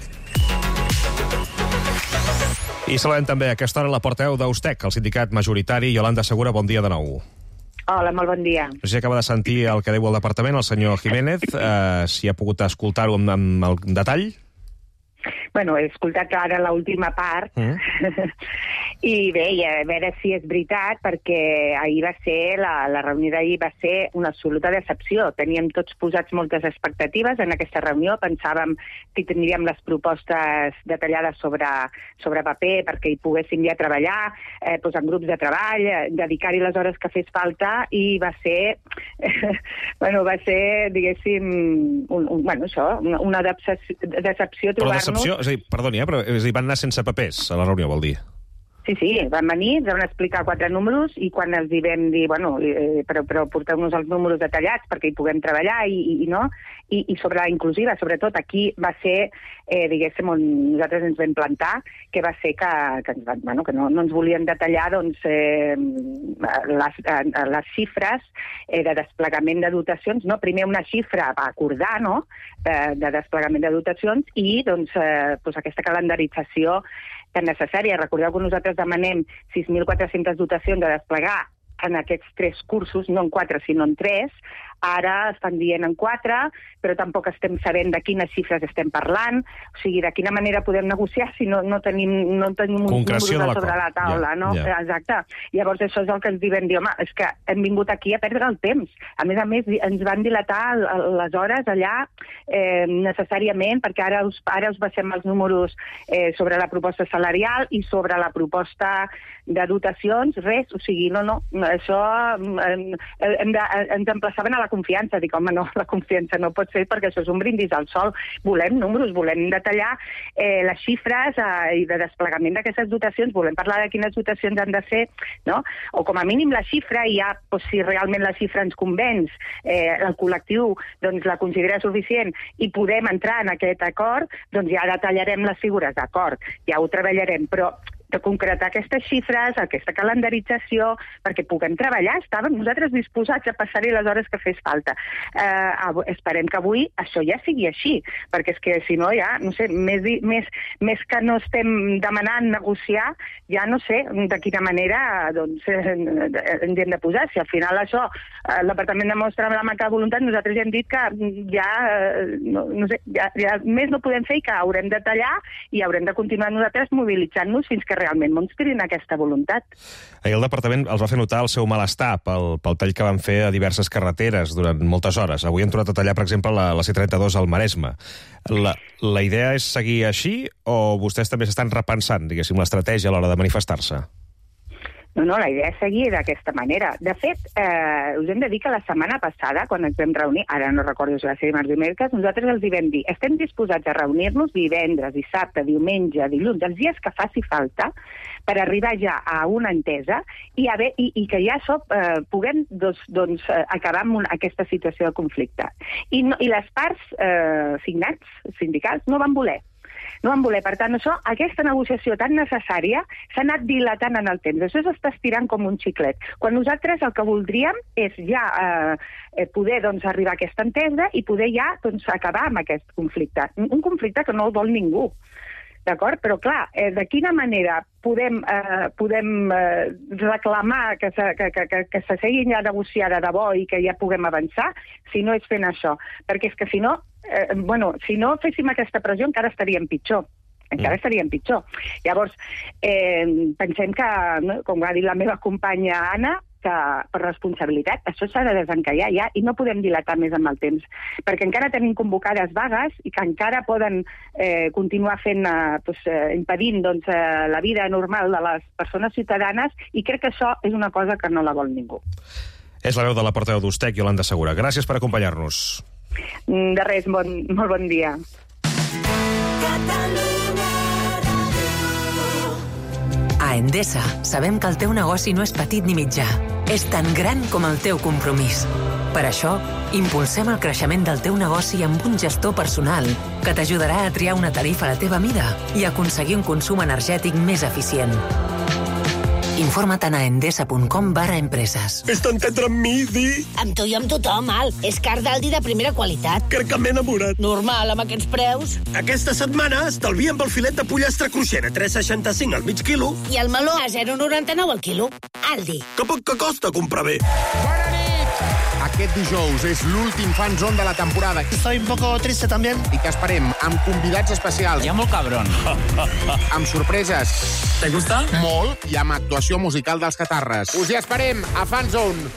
I saludem també a aquesta hora la portaveu d'Austec, el sindicat majoritari. Yolanda Segura, bon dia de nou. Hola, molt bon dia. No sé si acaba de sentir el que diu el departament, el senyor Jiménez, si ha pogut escoltar-ho amb el detall. Bueno, he escoltat ara l'última part i bé, a veure si és veritat, perquè ahir va ser, la reunió d'ahir va ser una absoluta decepció. Teníem tots posats moltes expectatives en aquesta reunió, pensàvem que tindríem les propostes detallades sobre paper perquè hi poguéssim ja treballar, en grups de treball, dedicar-hi les hores que fes falta, i va ser, diguéssim, una decepció trobar-nos... Decepció? És a dir, perdoni, però van anar sense papers a la reunió, vol dir? Sí, van venir, ens van explicar 4 números i quan els hi vam dir, però porteu-nos els números detallats perquè hi puguem treballar i sobre la inclusiva, sobretot aquí va ser, diguéssim, on nosaltres ens vam plantar, que va ser que no ens volien detallar les xifres de desplegament de dotacions, primer una xifra a acordar, de desplegament de dotacions i aquesta calendarització tan necessària. Recordeu que nosaltres demanem 6.400 dotacions a desplegar en aquests 3 cursos, no en 4, sinó en 3. Ara estan dient en 4, però tampoc estem sabent de quines xifres estem parlant, o sigui, de quina manera podem negociar si no tenim un número sobre la taula, no? Exacte. Llavors això és el que ens diuen, home, és que hem vingut aquí a perdre el temps. A més, ens van dilatar les hores allà necessàriament, perquè ara us passem els números sobre la proposta salarial i sobre la proposta de dotacions, res, o sigui, això ens emplaçaven a la confiança. Dic, home, no, la confiança no pot ser perquè això és un brindis al sol. Volem números, volem detallar les xifres i de desplegament d'aquestes dotacions, volem parlar de quines dotacions han de ser, no? O com a mínim la xifra, i ja, si realment la xifra ens convenç, el col·lectiu la considera suficient i podem entrar en aquest acord, doncs ja detallarem les figures, d'acord, ja ho treballarem, però de concretar aquestes xifres, aquesta calendarització, perquè puguem treballar. Estàvem nosaltres disposats a passar-hi les hores que fes falta. Esperem que avui això ja sigui així, perquè és que si no ja, no sé, més que no estem demanant negociar, ja no sé de quina manera ens hem de posar. Si al final això el departament demostra la manca de voluntat, nosaltres ja hem dit que ja, no sé, ja més no podem fer i que haurem de tallar i haurem de continuar nosaltres mobilitzant-nos fins que realment mostrin aquesta voluntat. Ahir el departament els va fer notar el seu malestar pel tall que van fer a diverses carreteres durant moltes hores. Avui hem tornat a tallar, per exemple, la C32 al Maresme. La idea és seguir així o vostès també s'estan repensant, diguéssim, l'estratègia a l'hora de manifestar-se? No, la idea és seguir d'aquesta manera. De fet, us hem de dir que la setmana passada, quan ens vam reunir, ara no recordo si va ser dimarts o dimecres, nosaltres els hi vam dir, estem disposats a reunir-nos divendres, dissabte, diumenge, dilluns, els dies que faci falta, per arribar ja a una entesa i que ja puguem acabar amb aquesta situació de conflicte. I les parts signats, sindicals, no van voler. No van voler. Per tant, aquesta negociació tan necessària s'ha anat dilatant en el temps. Això s'està estirant com un xiclet. Quan nosaltres el que voldríem és ja poder arribar a aquesta entesa i poder ja acabar amb aquest conflicte. Un conflicte que no el vol ningú. D'acord? Però, clar, de quina manera podem reclamar que se seguin ja negociar de debò i que ja puguem avançar si no és fent això? Perquè és que si no féssim aquesta pressió encara estaríem pitjor. Llavors, pensem que, com ha dit la meva companya Anna, que per responsabilitat això s'ha de desencallar ja i no podem dilatar més amb el temps, perquè encara tenim convocades vagues i que encara poden continuar impedint la vida normal de les persones ciutadanes, i crec que això és una cosa que no la vol ningú. És la veu de la portaveu d'Ustec, Iolanda Segura. Gràcies per acompanyar-nos. De res, molt bon dia. A Endesa sabem que el teu negoci no és petit ni mitjà, és tan gran com el teu compromís. Per això, impulsem el creixement del teu negoci amb un gestor personal que t'ajudarà a triar una tarifa a la teva mida i aconseguir un consum energètic més eficient. Informa't a endesa.com/empreses. És tan tendre amb mi, Di? Amb tu i amb tothom, Al. És car d'Aldi de primera qualitat. Crec que m'he enamorat. Normal, amb aquests preus. Aquesta setmana estalviem pel filet de pollastre cruixent a 3,65 al mig quilo. I el meló a 0,99 al quilo. Aldi. Que poc que costa comprar bé. Bona nit! Aquest dijous és l'últim Fan Zone de la temporada. Estoy un poco triste también. I que esperem amb convidats especials. Ya muy cabrón. Amb sorpreses. ¿Te gusta? Molt, i amb actuació musical dels Catarres. Us hi esperem a Fan Zone.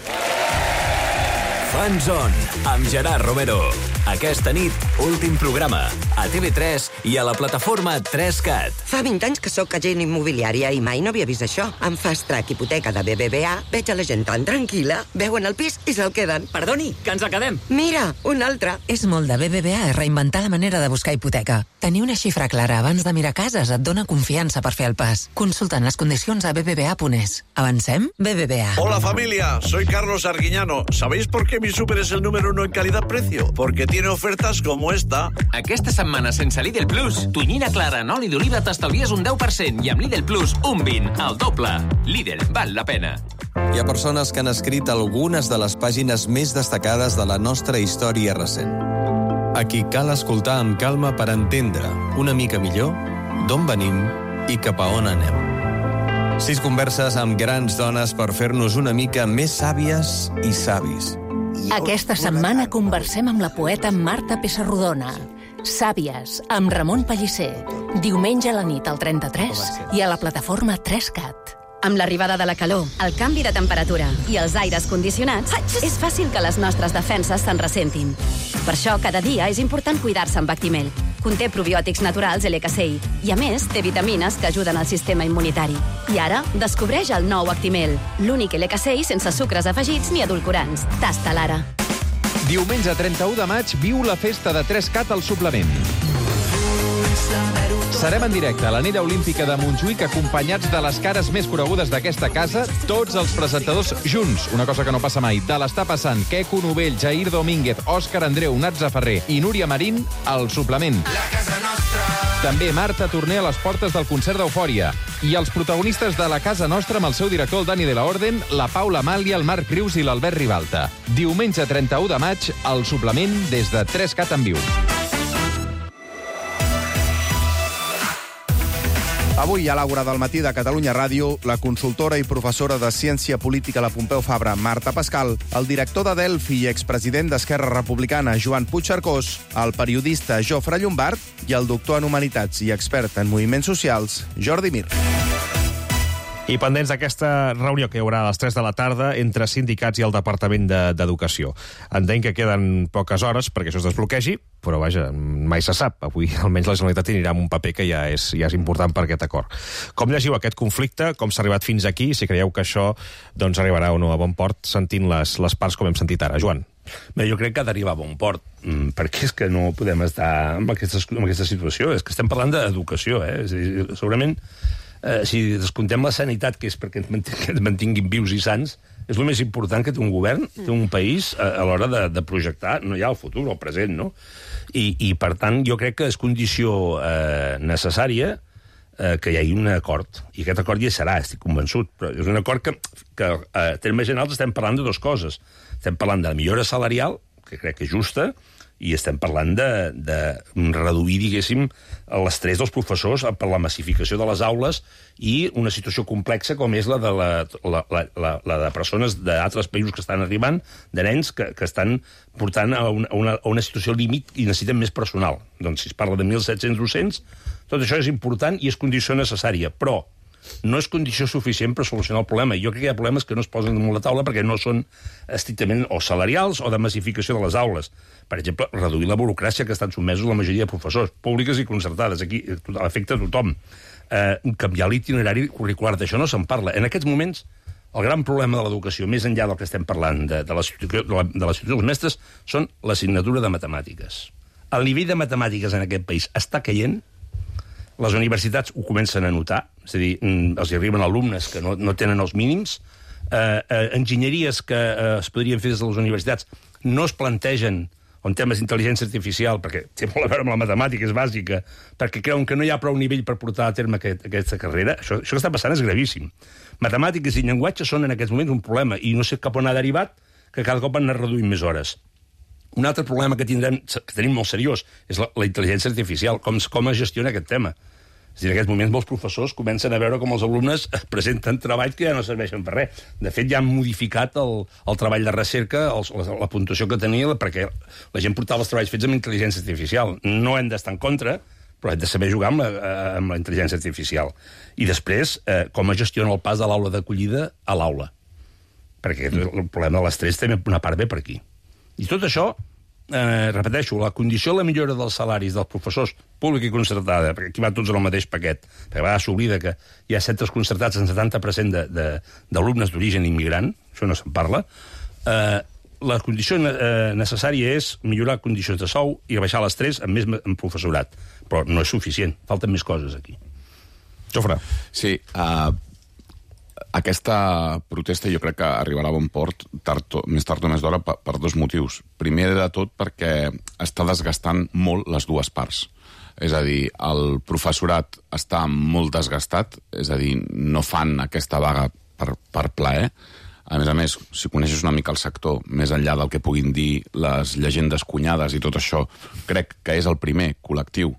Fan Zone, amb Gerard Romero. Aquesta nit, últim programa, a TV3 i a la plataforma 3CAT. Fa 20 anys que sóc agent immobiliària i mai no havia vist això. Amb Fast Track Hipoteca de BBVA veig a la gent tan tranquil·la, veuen el pis i se'l queden. Perdoni, que ens el quedem. Mira, un altre. És molt de BBVA reinventar la manera de buscar hipoteca. Tenir una xifra clara abans de mirar cases et dona confiança per fer el pas. Consulten les condicions a bbva.es. Avancem? BBVA. Hola familia, soy Carlos Arguiñano. ¿Sabéis por qué mi súper es el número 1 en calidad-precio? Porque tiene ofertas como esta. Aquesta setmana sense Lidl Plus, tonyina clara en oli d'oliva t'estalvies un 10% i amb Lidl Plus un 20%, al doble. Lidl, val la pena. Hi ha persones que han escrit algunes de les pàgines més destacades de la nostra història recent. A qui cal escoltar amb calma per entendre una mica millor d'on venim i cap a on anem. 6 converses amb grans dones per fer-nos una mica més sàvies i savis. Aquesta setmana conversem amb la poeta Marta Pessarrodona. Sàvies, amb Ramon Pellicer. Diumenge a la nit al 33 i a la plataforma 3CAT. Amb l'arribada de la calor, el canvi de temperatura i els aires condicionats, és fàcil que les nostres defenses se'n ressentin. Per això, cada dia és important cuidar-se amb Actimel. Conté probiòtics naturals LCI i, a més, té vitamines que ajuden al sistema immunitari. I ara, descobreix el nou Actimel, l'únic LCI sense sucres afegits ni edulcorants. Tasta-la ara. Diumenge 31 de maig viu la festa de 3CAT al suplement. Serem en directe a l'anella olímpica de Montjuïc acompanyats de les cares més conegudes d'aquesta casa, tots els presentadors junts, una cosa que no passa mai. De l'Està passant, Queco Novell, Jair Domínguez, Òscar Andreu, Natza Ferrer i Núria Marín al suplement. També Marta Torner a les portes del concert d'Eufòria. I els protagonistes de la Casa Nostra amb el seu director, el Dani de la Orden, la Paula Amàlia, el Marc Rius i l'Albert Ribalta. Diumenge 31 de maig, al suplement des de 3CAT en viu. Avui, a l'Àgora del matí de Catalunya Ràdio, la consultora i professora de Ciència Política a la Pompeu Fabra, Marta Pascal, el director de Delphi i expresident d'Esquerra Republicana, Joan Puigcercós, el periodista Jofre Llombard i el doctor en Humanitats i expert en moviments socials, Jordi Mir. I pendents d'aquesta reunió que hi haurà a les 3 de la tarda entre sindicats i el Departament d'Educació. Entenc que queden poques hores perquè això es desbloquegi, però vaja, mai se sap. Avui almenys la Generalitat anirà amb un paper que ja és important per aquest acord. Com llegiu aquest conflicte? Com s'ha arribat fins aquí? Si creieu que això arribarà o no a bon port, sentint les parts com hem sentit ara. Joan. Bé, jo crec que ha d'arribar a bon port, perquè és que no podem estar en aquesta situació. És que estem parlant d'educació, És a dir, segurament si descomptem la sanitat, que és perquè ens mantinguin vius i sants, és el més important que té un govern, té un país, a l'hora de projectar, no ja el futur, el present, no? I per tant, jo crec que és condició necessària que hi hagi un acord. I aquest acord ja serà, estic convençut. Però és un acord que a termes generals estem parlant de dues coses. Estem parlant de la millora salarial, que crec que és justa, i estem parlant de reduir, diguéssim, l'estrès dels professors per la massificació de les aules i una situació complexa com és la de persones d'altres països que estan arribant, de nens que estan portant a una situació límit i necessiten més personal. Doncs si es parla de 1.700 docents, tot això és important i és condició necessària, però no és condició suficient per solucionar el problema. Jo crec que hi ha problemes que no es posen damunt la taula perquè no són estrictament o salarials o de massificació de les aules. Per exemple, reduir la burocràcia que estan sotmesos la majoria de professors, públiques i concertades. Aquí afecta a tothom. Canviar l'itinerari curricular, d'això no se'n parla. En aquests moments, el gran problema de l'educació, més enllà del que estem parlant de la situació dels mestres, són l'assignatura de matemàtiques. El nivell de matemàtiques en aquest país està caient. Les universitats ho comencen a notar, és a dir, els arriben alumnes que no tenen els mínims, enginyeries que es podrien fer des de les universitats no es plantegen en temes d'intel·ligència artificial, perquè té molt a veure amb la matemàtica, és bàsica, perquè creuen que no hi ha prou nivell per portar a terme aquesta carrera. Això que està passant és gravíssim. Matemàtiques i llenguatge són en aquests moments un problema, i no sé cap on ha derivat, que cada cop han anat reduint més hores. Un altre problema que tenim molt seriós és la intel·ligència artificial, com es gestiona aquest tema. És a dir, en aquests moments molts professors comencen a veure com els alumnes presenten treballs que ja no serveixen per res. De fet, ja han modificat el treball de recerca, la puntuació que tenia, perquè la gent portava els treballs fets amb intel·ligència artificial. No hem d'estar en contra, però hem de saber jugar amb la intel·ligència artificial. I després, com es gestiona el pas de l'aula d'acollida a l'aula. Perquè el problema de l'estrès també una part ve per aquí. I tot això, repeteixo, la condició de la millora dels salaris dels professors públic i concertada, perquè aquí va tots en el mateix paquet, perquè a vegades s'oblida que hi ha centres concertats en 70% d'alumnes d'origen immigrant, això no se'n parla, la condició necessària és millorar condicions de sou i baixar l'estrès amb professorat, però no és suficient, falten més coses aquí. Jofre. Sí, aquesta protesta jo crec que arribarà a bon port més tard o més d'hora per dos motius. Primer de tot perquè està desgastant molt les dues parts. És a dir, el professorat està molt desgastat, és a dir, no fan aquesta vaga per plaer. A més, si coneixes una mica el sector, més enllà del que puguin dir les llegendes cunyades i tot això, crec que és el primer col·lectiu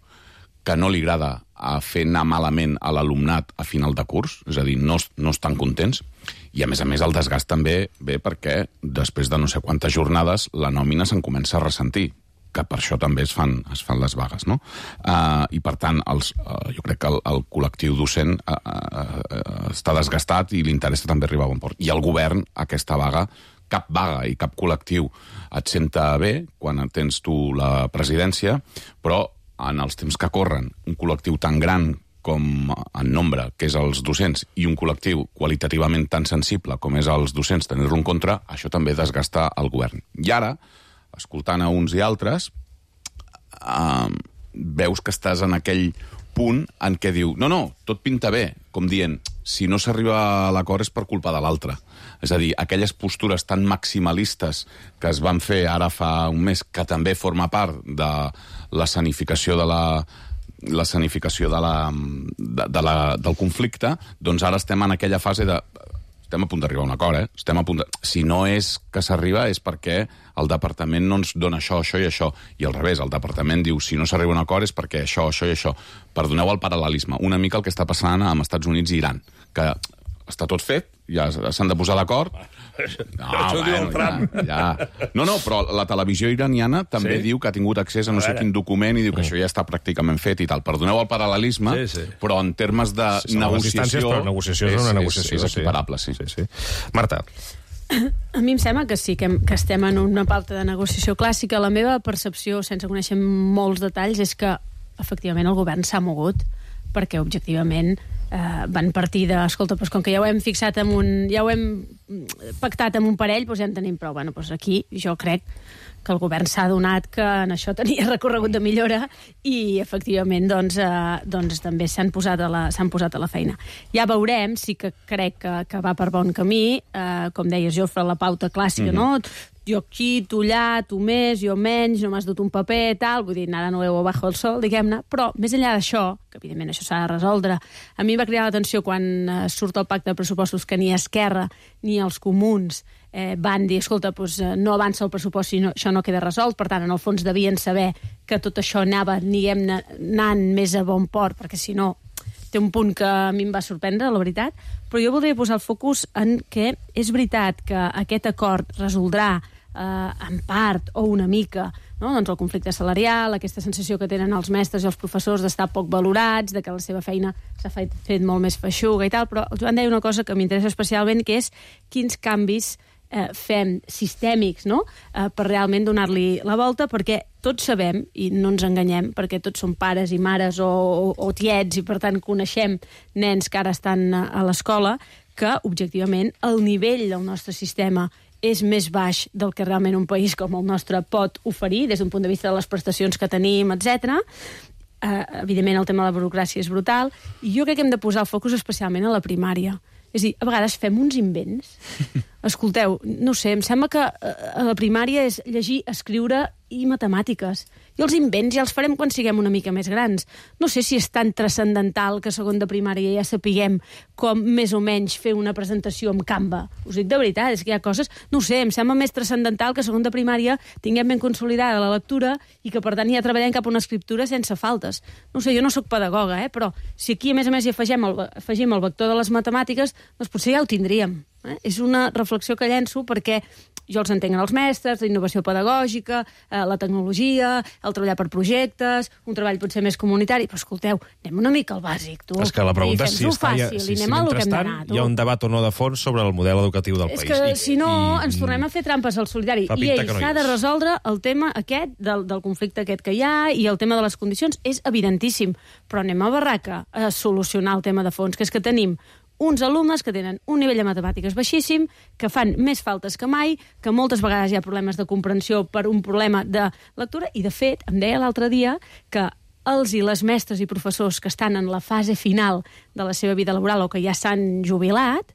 que no li agrada a fer anar malament a l'alumnat a final de curs, és a dir, no estan contents, i a més el desgast també ve perquè després de no sé quantes jornades la nòmina se'n comença a ressentir, que per això també es fan les vagues, no? I per tant, jo crec que el col·lectiu docent està desgastat i li interessa també arribar a bon port. I el govern, aquesta vaga, cap vaga i cap col·lectiu et senta bé quan tens tu la presidència, però en els temps que corren, un col·lectiu tan gran com en nombre, que és els docents, i un col·lectiu qualitativament tan sensible com és els docents, tenir-lo en contra, això també desgasta el govern. I ara, escoltant a uns i altres, veus que estàs en aquell punt en què diu no, tot pinta bé, com dient, si no s'arriba a l'acord és per culpa de l'altre. És a dir, aquelles postures tan maximalistes que es van fer ara fa un mes, que també forma part de l'escenificació del conflicte, doncs ara estem en aquella fase de estem a punt d'arribar a un acord, Si no és que s'arriba és perquè el departament no ens dona això i això, i al revés, el departament diu si no s'arriba a un acord és perquè això i això. Perdoneu el paral·lelisme, una mica el que està passant amb Estats Units i Iran, que està tot fet, ja s'han de posar d'acord. No, però la televisió iraniana també diu que ha tingut accés a no sé quin document i diu que això ja està pràcticament fet i tal. Perdoneu el paral·lelisme, però en termes de negociació... Però negociació és una negociació. És equiparable, sí. Marta. A mi em sembla que sí, que estem en una pauta de negociació clàssica. La meva percepció, sense conèixer molts detalls, és que efectivament el govern s'ha mogut perquè objectivament van partir de, escolta, doncs com que ja ho hem fixat ja ho hem pactat amb un parell, doncs ja en tenim prou. Bueno, doncs aquí jo crec que el govern s'ha adonat que en això tenia recorregut de millora i, efectivament, doncs també s'han posat a la feina. Ja veurem, sí que crec que va per bon camí, com deies, Jofre, la pauta clàssica, no? Jo aquí, tu allà, tu més, jo menys, no m'has dut un paper, tal, vull dir, nada nuevo bajo el sol, diguem-ne, però més enllà d'això, que evidentment això s'ha de resoldre, a mi va cridar l'atenció quan surt el pacte de pressupostos que ni Esquerra ni els comuns van dir, escolta, doncs no avança el pressupost si això no queda resolt, per tant, en el fons devien saber que tot això anava, anant més a bon port, perquè si no té un punt que a mi em va sorprendre, la veritat, però jo voldria posar el focus en que és veritat que aquest acord resoldrà en part o una mica, no? Doncs el conflicte salarial, aquesta sensació que tenen els mestres i els professors d'estar poc valorats, de que la seva feina s'ha fet molt més feixuga i tal, però el Joan deia una cosa que m'interessa especialment, que és quins canvis fem sistèmics, no? Per realment donar-li la volta, perquè tots sabem, i no ens enganyem, perquè tots som pares i mares o tiets i per tant coneixem nens que ara estan a l'escola, que objectivament el nivell del nostre sistema és més baix del que realment un país com el nostre pot oferir, des d'un punt de vista de les prestacions que tenim, etc. Evidentment, el tema de la burocràcia és brutal, i jo crec que hem de posar el focus especialment a la primària. És a dir, a vegades fem uns invents. Escolteu, no sé, em sembla que a la primària és llegir, escriure i matemàtiques. I els invents ja els farem quan siguem una mica més grans. No sé si és tan transcendental que a segon de primària ja sapiguem com més o menys fer una presentació amb Canva. Us dic de veritat, és que hi ha coses... No sé, em sembla més transcendental que a segon de primària tinguem ben consolidada la lectura i que, per tant, ja treballem cap a una escriptura sense faltes. No sé, jo no sóc pedagoga, però si aquí, a més, hi afegim el vector de les matemàtiques, doncs potser ja ho tindríem. És una reflexió que llenço perquè jo els entenc en els mestres, la innovació pedagògica, la tecnologia, el treballar per projectes, un treball potser més comunitari, però escolteu, anem una mica al bàsic, tu. És que la pregunta és si mentrestant hi ha un debat o no de fons sobre el model educatiu del país. És que si no, ens tornem a fer trampes al solitari. I s'ha de resoldre el tema aquest del conflicte aquest que hi ha i el tema de les condicions és evidentíssim, però anem a barraca a solucionar el tema de fons, que és que tenim uns alumnes que tenen un nivell de matemàtiques baixíssim, que fan més faltes que mai, que moltes vegades hi ha problemes de comprensió per un problema de lectura, i de fet, em deia l'altre dia que els i les mestres i professors que estan en la fase final de la seva vida laboral o que ja s'han jubilat,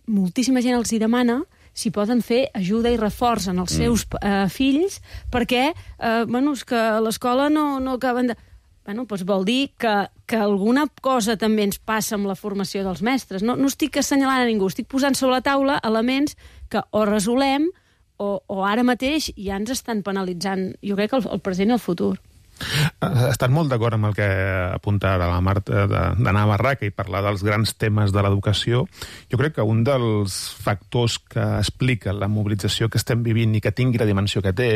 moltíssima gent els hi demana si poden fer ajuda i reforç en els seus fills, perquè és que a l'escola no acaben de... Doncs vol dir que alguna cosa també ens passa amb la formació dels mestres. No estic assenyalant a ningú, estic posant sobre la taula elements que o resolem o ara mateix ja ens estan penalitzant, jo crec que el present i el futur. Estan molt d'acord amb el que apunta ara la Marta d'anar a barraca i parlar dels grans temes de l'educació. Jo crec que un dels factors que explica la mobilització que estem vivint i que tingui la dimensió que té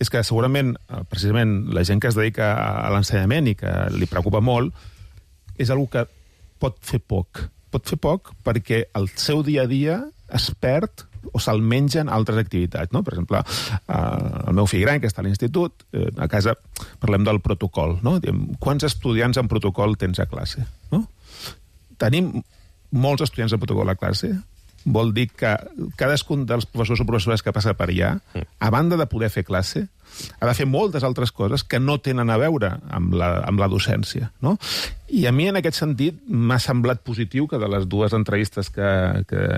és que segurament, precisament, la gent que es dedica a l'ensenyament i que li preocupa molt és una que pot fer poc. Pot fer poc perquè el seu dia a dia es perd o se'l mengen altres activitats, no? Per exemple, el meu fill gran, que està a l'institut, a casa parlem del protocol, no? Diem, quants estudiants en protocol tens a classe, no? Tenim molts estudiants en protocol a classe, vol dir que cadascun dels professors o professores que passa per allà, a banda de poder fer classe, ha de fer moltes altres coses que no tenen a veure amb la docència, no? I a mi, en aquest sentit, m'ha semblat positiu que de les dues entrevistes que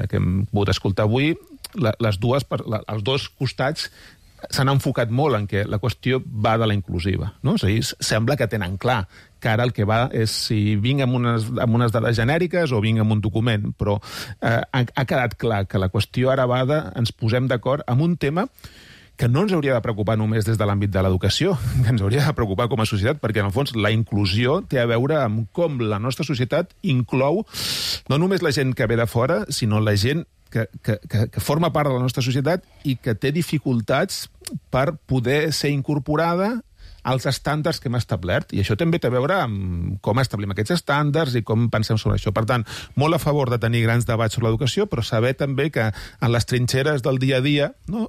hem pogut escoltar avui, els dos costats s'han enfocat molt en què la qüestió va de la inclusiva, no? És a dir, sembla que tenen clar que ara el que va és si vinc amb unes dades genèriques o vinc amb un document, però ha quedat clar que la qüestió ara va de ens posem d'acord amb un tema que no ens hauria de preocupar només des de l'àmbit de l'educació, que ens hauria de preocupar com a societat, perquè, en el fons, la inclusió té a veure amb com la nostra societat inclou no només la gent que ve de fora, sinó la gent que forma part de la nostra societat i que té dificultats per poder ser incorporada als estàndards que hem establert. I això també té a veure amb com establim aquests estàndards i com pensem sobre això. Per tant, molt a favor de tenir grans debats sobre l'educació, però saber també que en les trinxeres del dia a dia, no,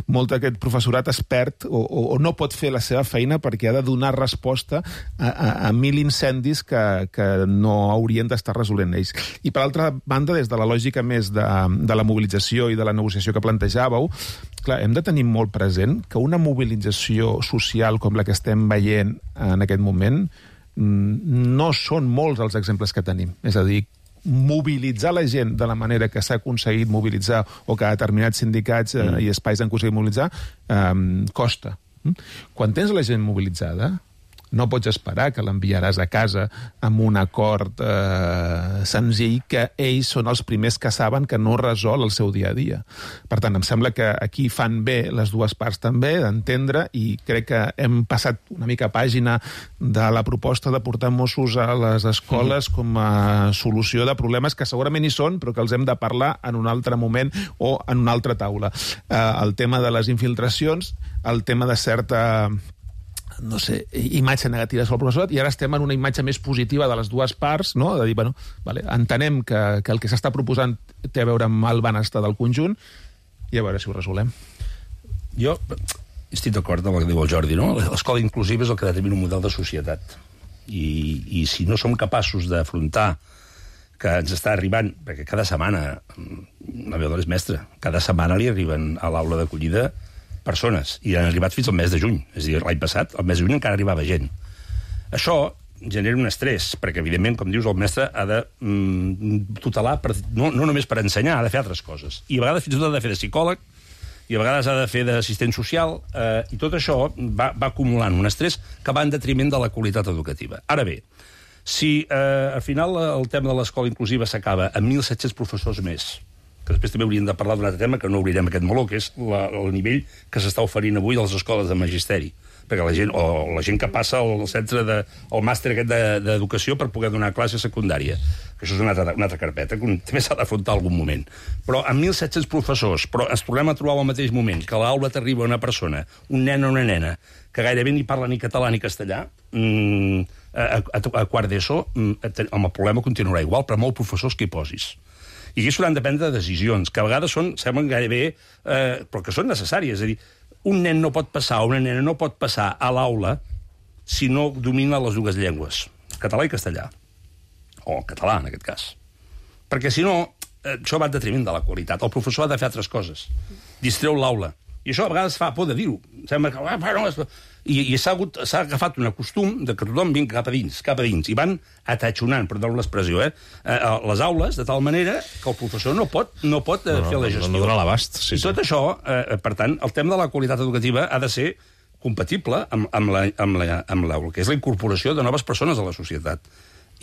molt d'aquest professorat es perd o no pot fer la seva feina perquè ha de donar resposta a 1.000 incendis que no haurien d'estar resolent ells. I, per altra banda, des de la lògica més de la mobilització i de la negociació que plantejàveu, Clar, hem de tenir molt present que una mobilització social com la que estem veient en aquest moment no són molts els exemples que tenim. És a dir, mobilitzar la gent de la manera que s'ha aconseguit mobilitzar o que determinats sindicats i espais han aconseguit mobilitzar costa. Quan tens la gent mobilitzada, no pots esperar que l'enviaràs a casa amb un acord senzill que ells són els primers que saben que no resol el seu dia a dia. Per tant, em sembla que aquí fan bé les dues parts també d'entendre, i crec que hem passat una mica pàgina de la proposta de portar Mossos a les escoles com a solució de problemes que segurament hi són, però que els hem de parlar en un altre moment o en una altra taula. El tema de les infiltracions, el tema de certa imatge negativa sobre el professorat, i ara estem en una imatge més positiva de les dues parts, no? De dir, bueno, vale, entenem que el que s'està proposant té a veure amb el benestar del conjunt, i a veure si ho resolem. Jo estic d'acord amb el que diu el Jordi, no? L'escola inclusiva és el que determina un model de societat. I si no som capaços d'afrontar que ens està arribant, perquè cada setmana, la meva dona és mestra, cada setmana li arriben a l'aula d'acollida persones, i han arribat fins al mes de juny. És a dir, l'any passat, al mes de juny encara arribava gent. Això genera un estrès, perquè, evidentment, com dius, el mestre ha de tutelar, no només per ensenyar, ha de fer altres coses. I a vegades fins i tot ha de fer de psicòleg, i a vegades ha de fer d'assistent social, i tot això va acumulant un estrès que va en detriment de la qualitat educativa. Ara bé, si al final el tema de l'escola inclusiva s'acaba amb 1.700 professors més, que després també hauríem de parlar d'un altre tema, que no obrirem aquest meló, que és el nivell que s'està oferint avui a les escoles de magisteri. Perquè la gent que passa al centre al màster aquest d'educació per poder donar classe secundària, que això és una altra carpeta, que també s'ha d'afrontar algun moment. Però amb 1.700 professors, però ens tornem a trobar al mateix moment que a l'aula t'arriba una persona, un nen o una nena, que gairebé ni parla ni català ni castellà, a quart d'ESO, el problema continuarà igual, però molt professors que hi posis. I aquí s'hauran de prendre decisions, que a vegades semblen gairebé, però que són necessàries. És a dir, un nen no pot passar, o una nena no pot passar a l'aula si no domina les dues llengües, català i castellà. O català, en aquest cas. Perquè, si no, això va en detriment de la qualitat. El professor ha de fer altres coses. Distreu l'aula. I això a vegades fa por de dir-ho. Sembla que... I s'ha agafat un costum de que tothom vingui cap a dins, i van atatxonant, perdó l'expressió, les aules, de tal manera que el professor no pot fer la gestió. No dona l'abast, sí. I tot això, per tant, el tema de la qualitat educativa ha de ser compatible amb l'aula, que és la incorporació de noves persones a la societat.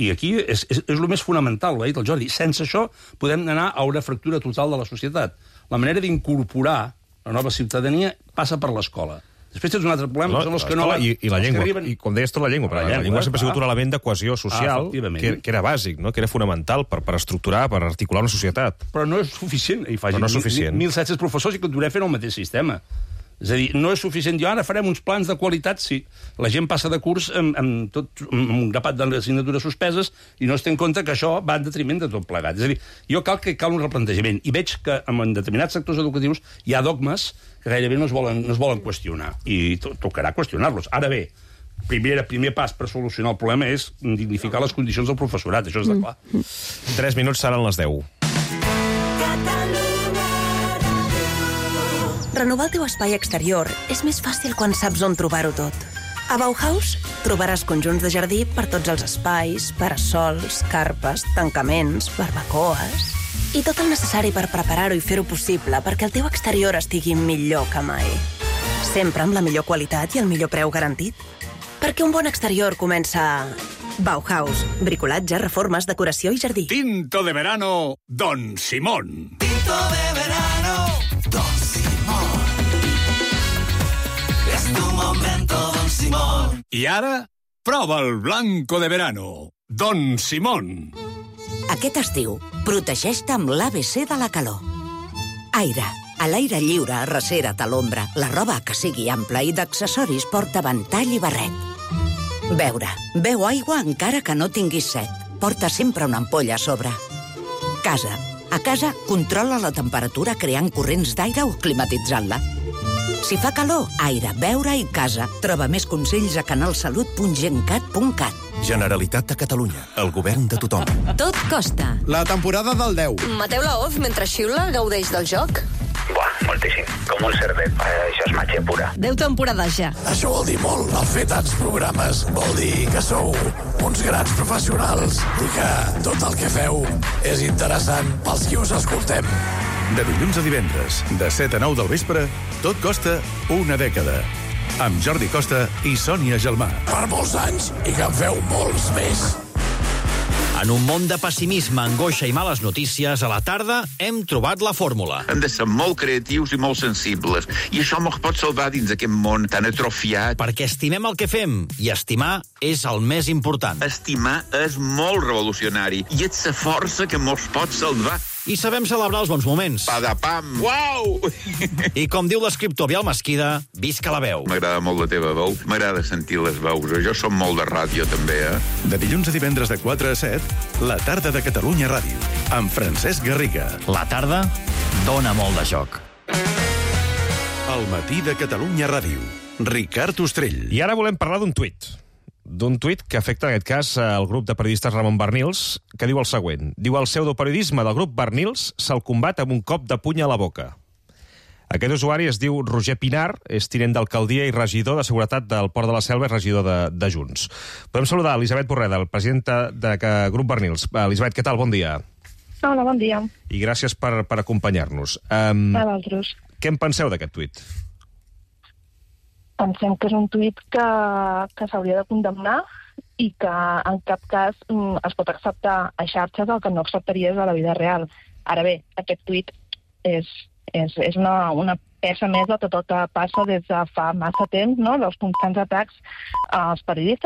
I aquí és el més fonamental, ho ha dit el Jordi. Sense això podem anar a una fractura total de la societat. La manera d'incorporar la nova ciutadania passa per l'escola. Després tens un altre problema, que són els que no... I la llengua, i com deies tot, la llengua, però la llengua sempre ha sigut un element de cohesió social que era bàsic, que era fonamental per estructurar, per articular una societat. Però no és suficient. Però no és suficient. 1.700 professors i continuarem fent el mateix sistema. És a dir, no és suficient. Jo ara farem uns plans de qualitat si la gent passa de curs amb un grapat d'assignatures suspeses i no es té en compte que això va en detriment de tot plegat. És a dir, jo cal un replantejament. I veig que en determinats sectors educatius hi ha dogmes que gairebé no es volen qüestionar. I tocarà qüestionar-los. Ara bé, primer pas per solucionar el problema és dignificar les condicions del professorat. Això és de clar. 3 minuts seran les 10. Renovar el teu espai exterior és més fàcil quan saps on trobar-ho tot. A Bauhaus trobaràs conjunts de jardí per tots els espais, parasols, carpes, tancaments, barbacoes... i tot el necessari per preparar-ho i fer-ho possible perquè el teu exterior estigui millor que mai. Sempre amb la millor qualitat i el millor preu garantit. Perquè un bon exterior comença a... Bauhaus. Bricolatge, reformes, decoració i jardí. Tinto de verano, Don Simón. Tinto de verano, Don Simón. Es tu momento, Don Simón. I ara, prova el blanco de verano, Don Simón. Aquest estiu, protegeix-te amb l'ABC de la calor. Aire. A l'aire lliure, arrecera't a l'ombra. La roba que sigui ampla i d'accessoris porta ventall i barret. Beure. Beu aigua encara que no tinguis set. Porta sempre una ampolla a sobre. Casa. A casa, controla la temperatura creant corrents d'aire o climatitzant-la. Si fa calor, aire, beure i casa. Troba més consells a canalsalut.gencat.cat. Generalitat de Catalunya. El govern de tothom. Tot costa. La temporada del 10. Mateu Laoz, mentre xiula, gaudeix del joc? Buah, moltíssim, com un cerdet. Això és màgia pura. 10 temporades ja. Això vol dir molt, el fer tants programes. Vol dir que sou uns grans professionals i que tot el que feu és interessant pels qui us escoltem. De dilluns a divendres, de 7 a 9 del vespre, tot costa una dècada. Amb Jordi Costa i Sònia Gelmà. Per molts anys i que en feu molts més. En un món de pessimisme, angoixa i males notícies, a la tarda hem trobat la fórmula. Hem de ser molt creatius i molt sensibles. I això ens pot salvar dins aquest món tan atrofiat. Perquè estimem el que fem, i estimar és el més important. Estimar és molt revolucionari i és la força que ens pot salvar. I sabem celebrar els bons moments. Padapam! Uau! I com diu l'escriptor Biel Mesquida, visca la veu. M'agrada molt la teva veu, m'agrada sentir les veus. Jo som molt de ràdio, també, De dilluns a divendres de 4 a 7, la tarda de Catalunya Ràdio, amb Francesc Garriga. La tarda dona molt de joc. El matí de Catalunya Ràdio. Ricard Ostrell. I ara volem parlar d'un tuit que afecta, en aquest cas, el grup de periodistes Ramon Barnils, que diu el següent. Diu, el pseudoperiodisme del grup Barnils se'l combat amb un cop de puny a la boca. Aquest usuari es diu Roger Pinar, és tinent d'alcaldia i regidor de seguretat del Port de la Selva i regidor de Junts. Podem saludar Elisabet Borreda, el presidenta de grup Barnils. Elisabet, què tal? Bon dia. Hola, bon dia. I gràcies per acompanyar-nos. A vosaltres. Què en penseu d'aquest tuit? Pensem que és un tuit que s'hauria de condemnar i que en cap cas es pot acceptar a xarxes, el que no acceptaries a la vida real. Ara bé, aquest tuit és una peça més de tot el que passa des de fa massa temps, no?, dels constants atacs als periodistes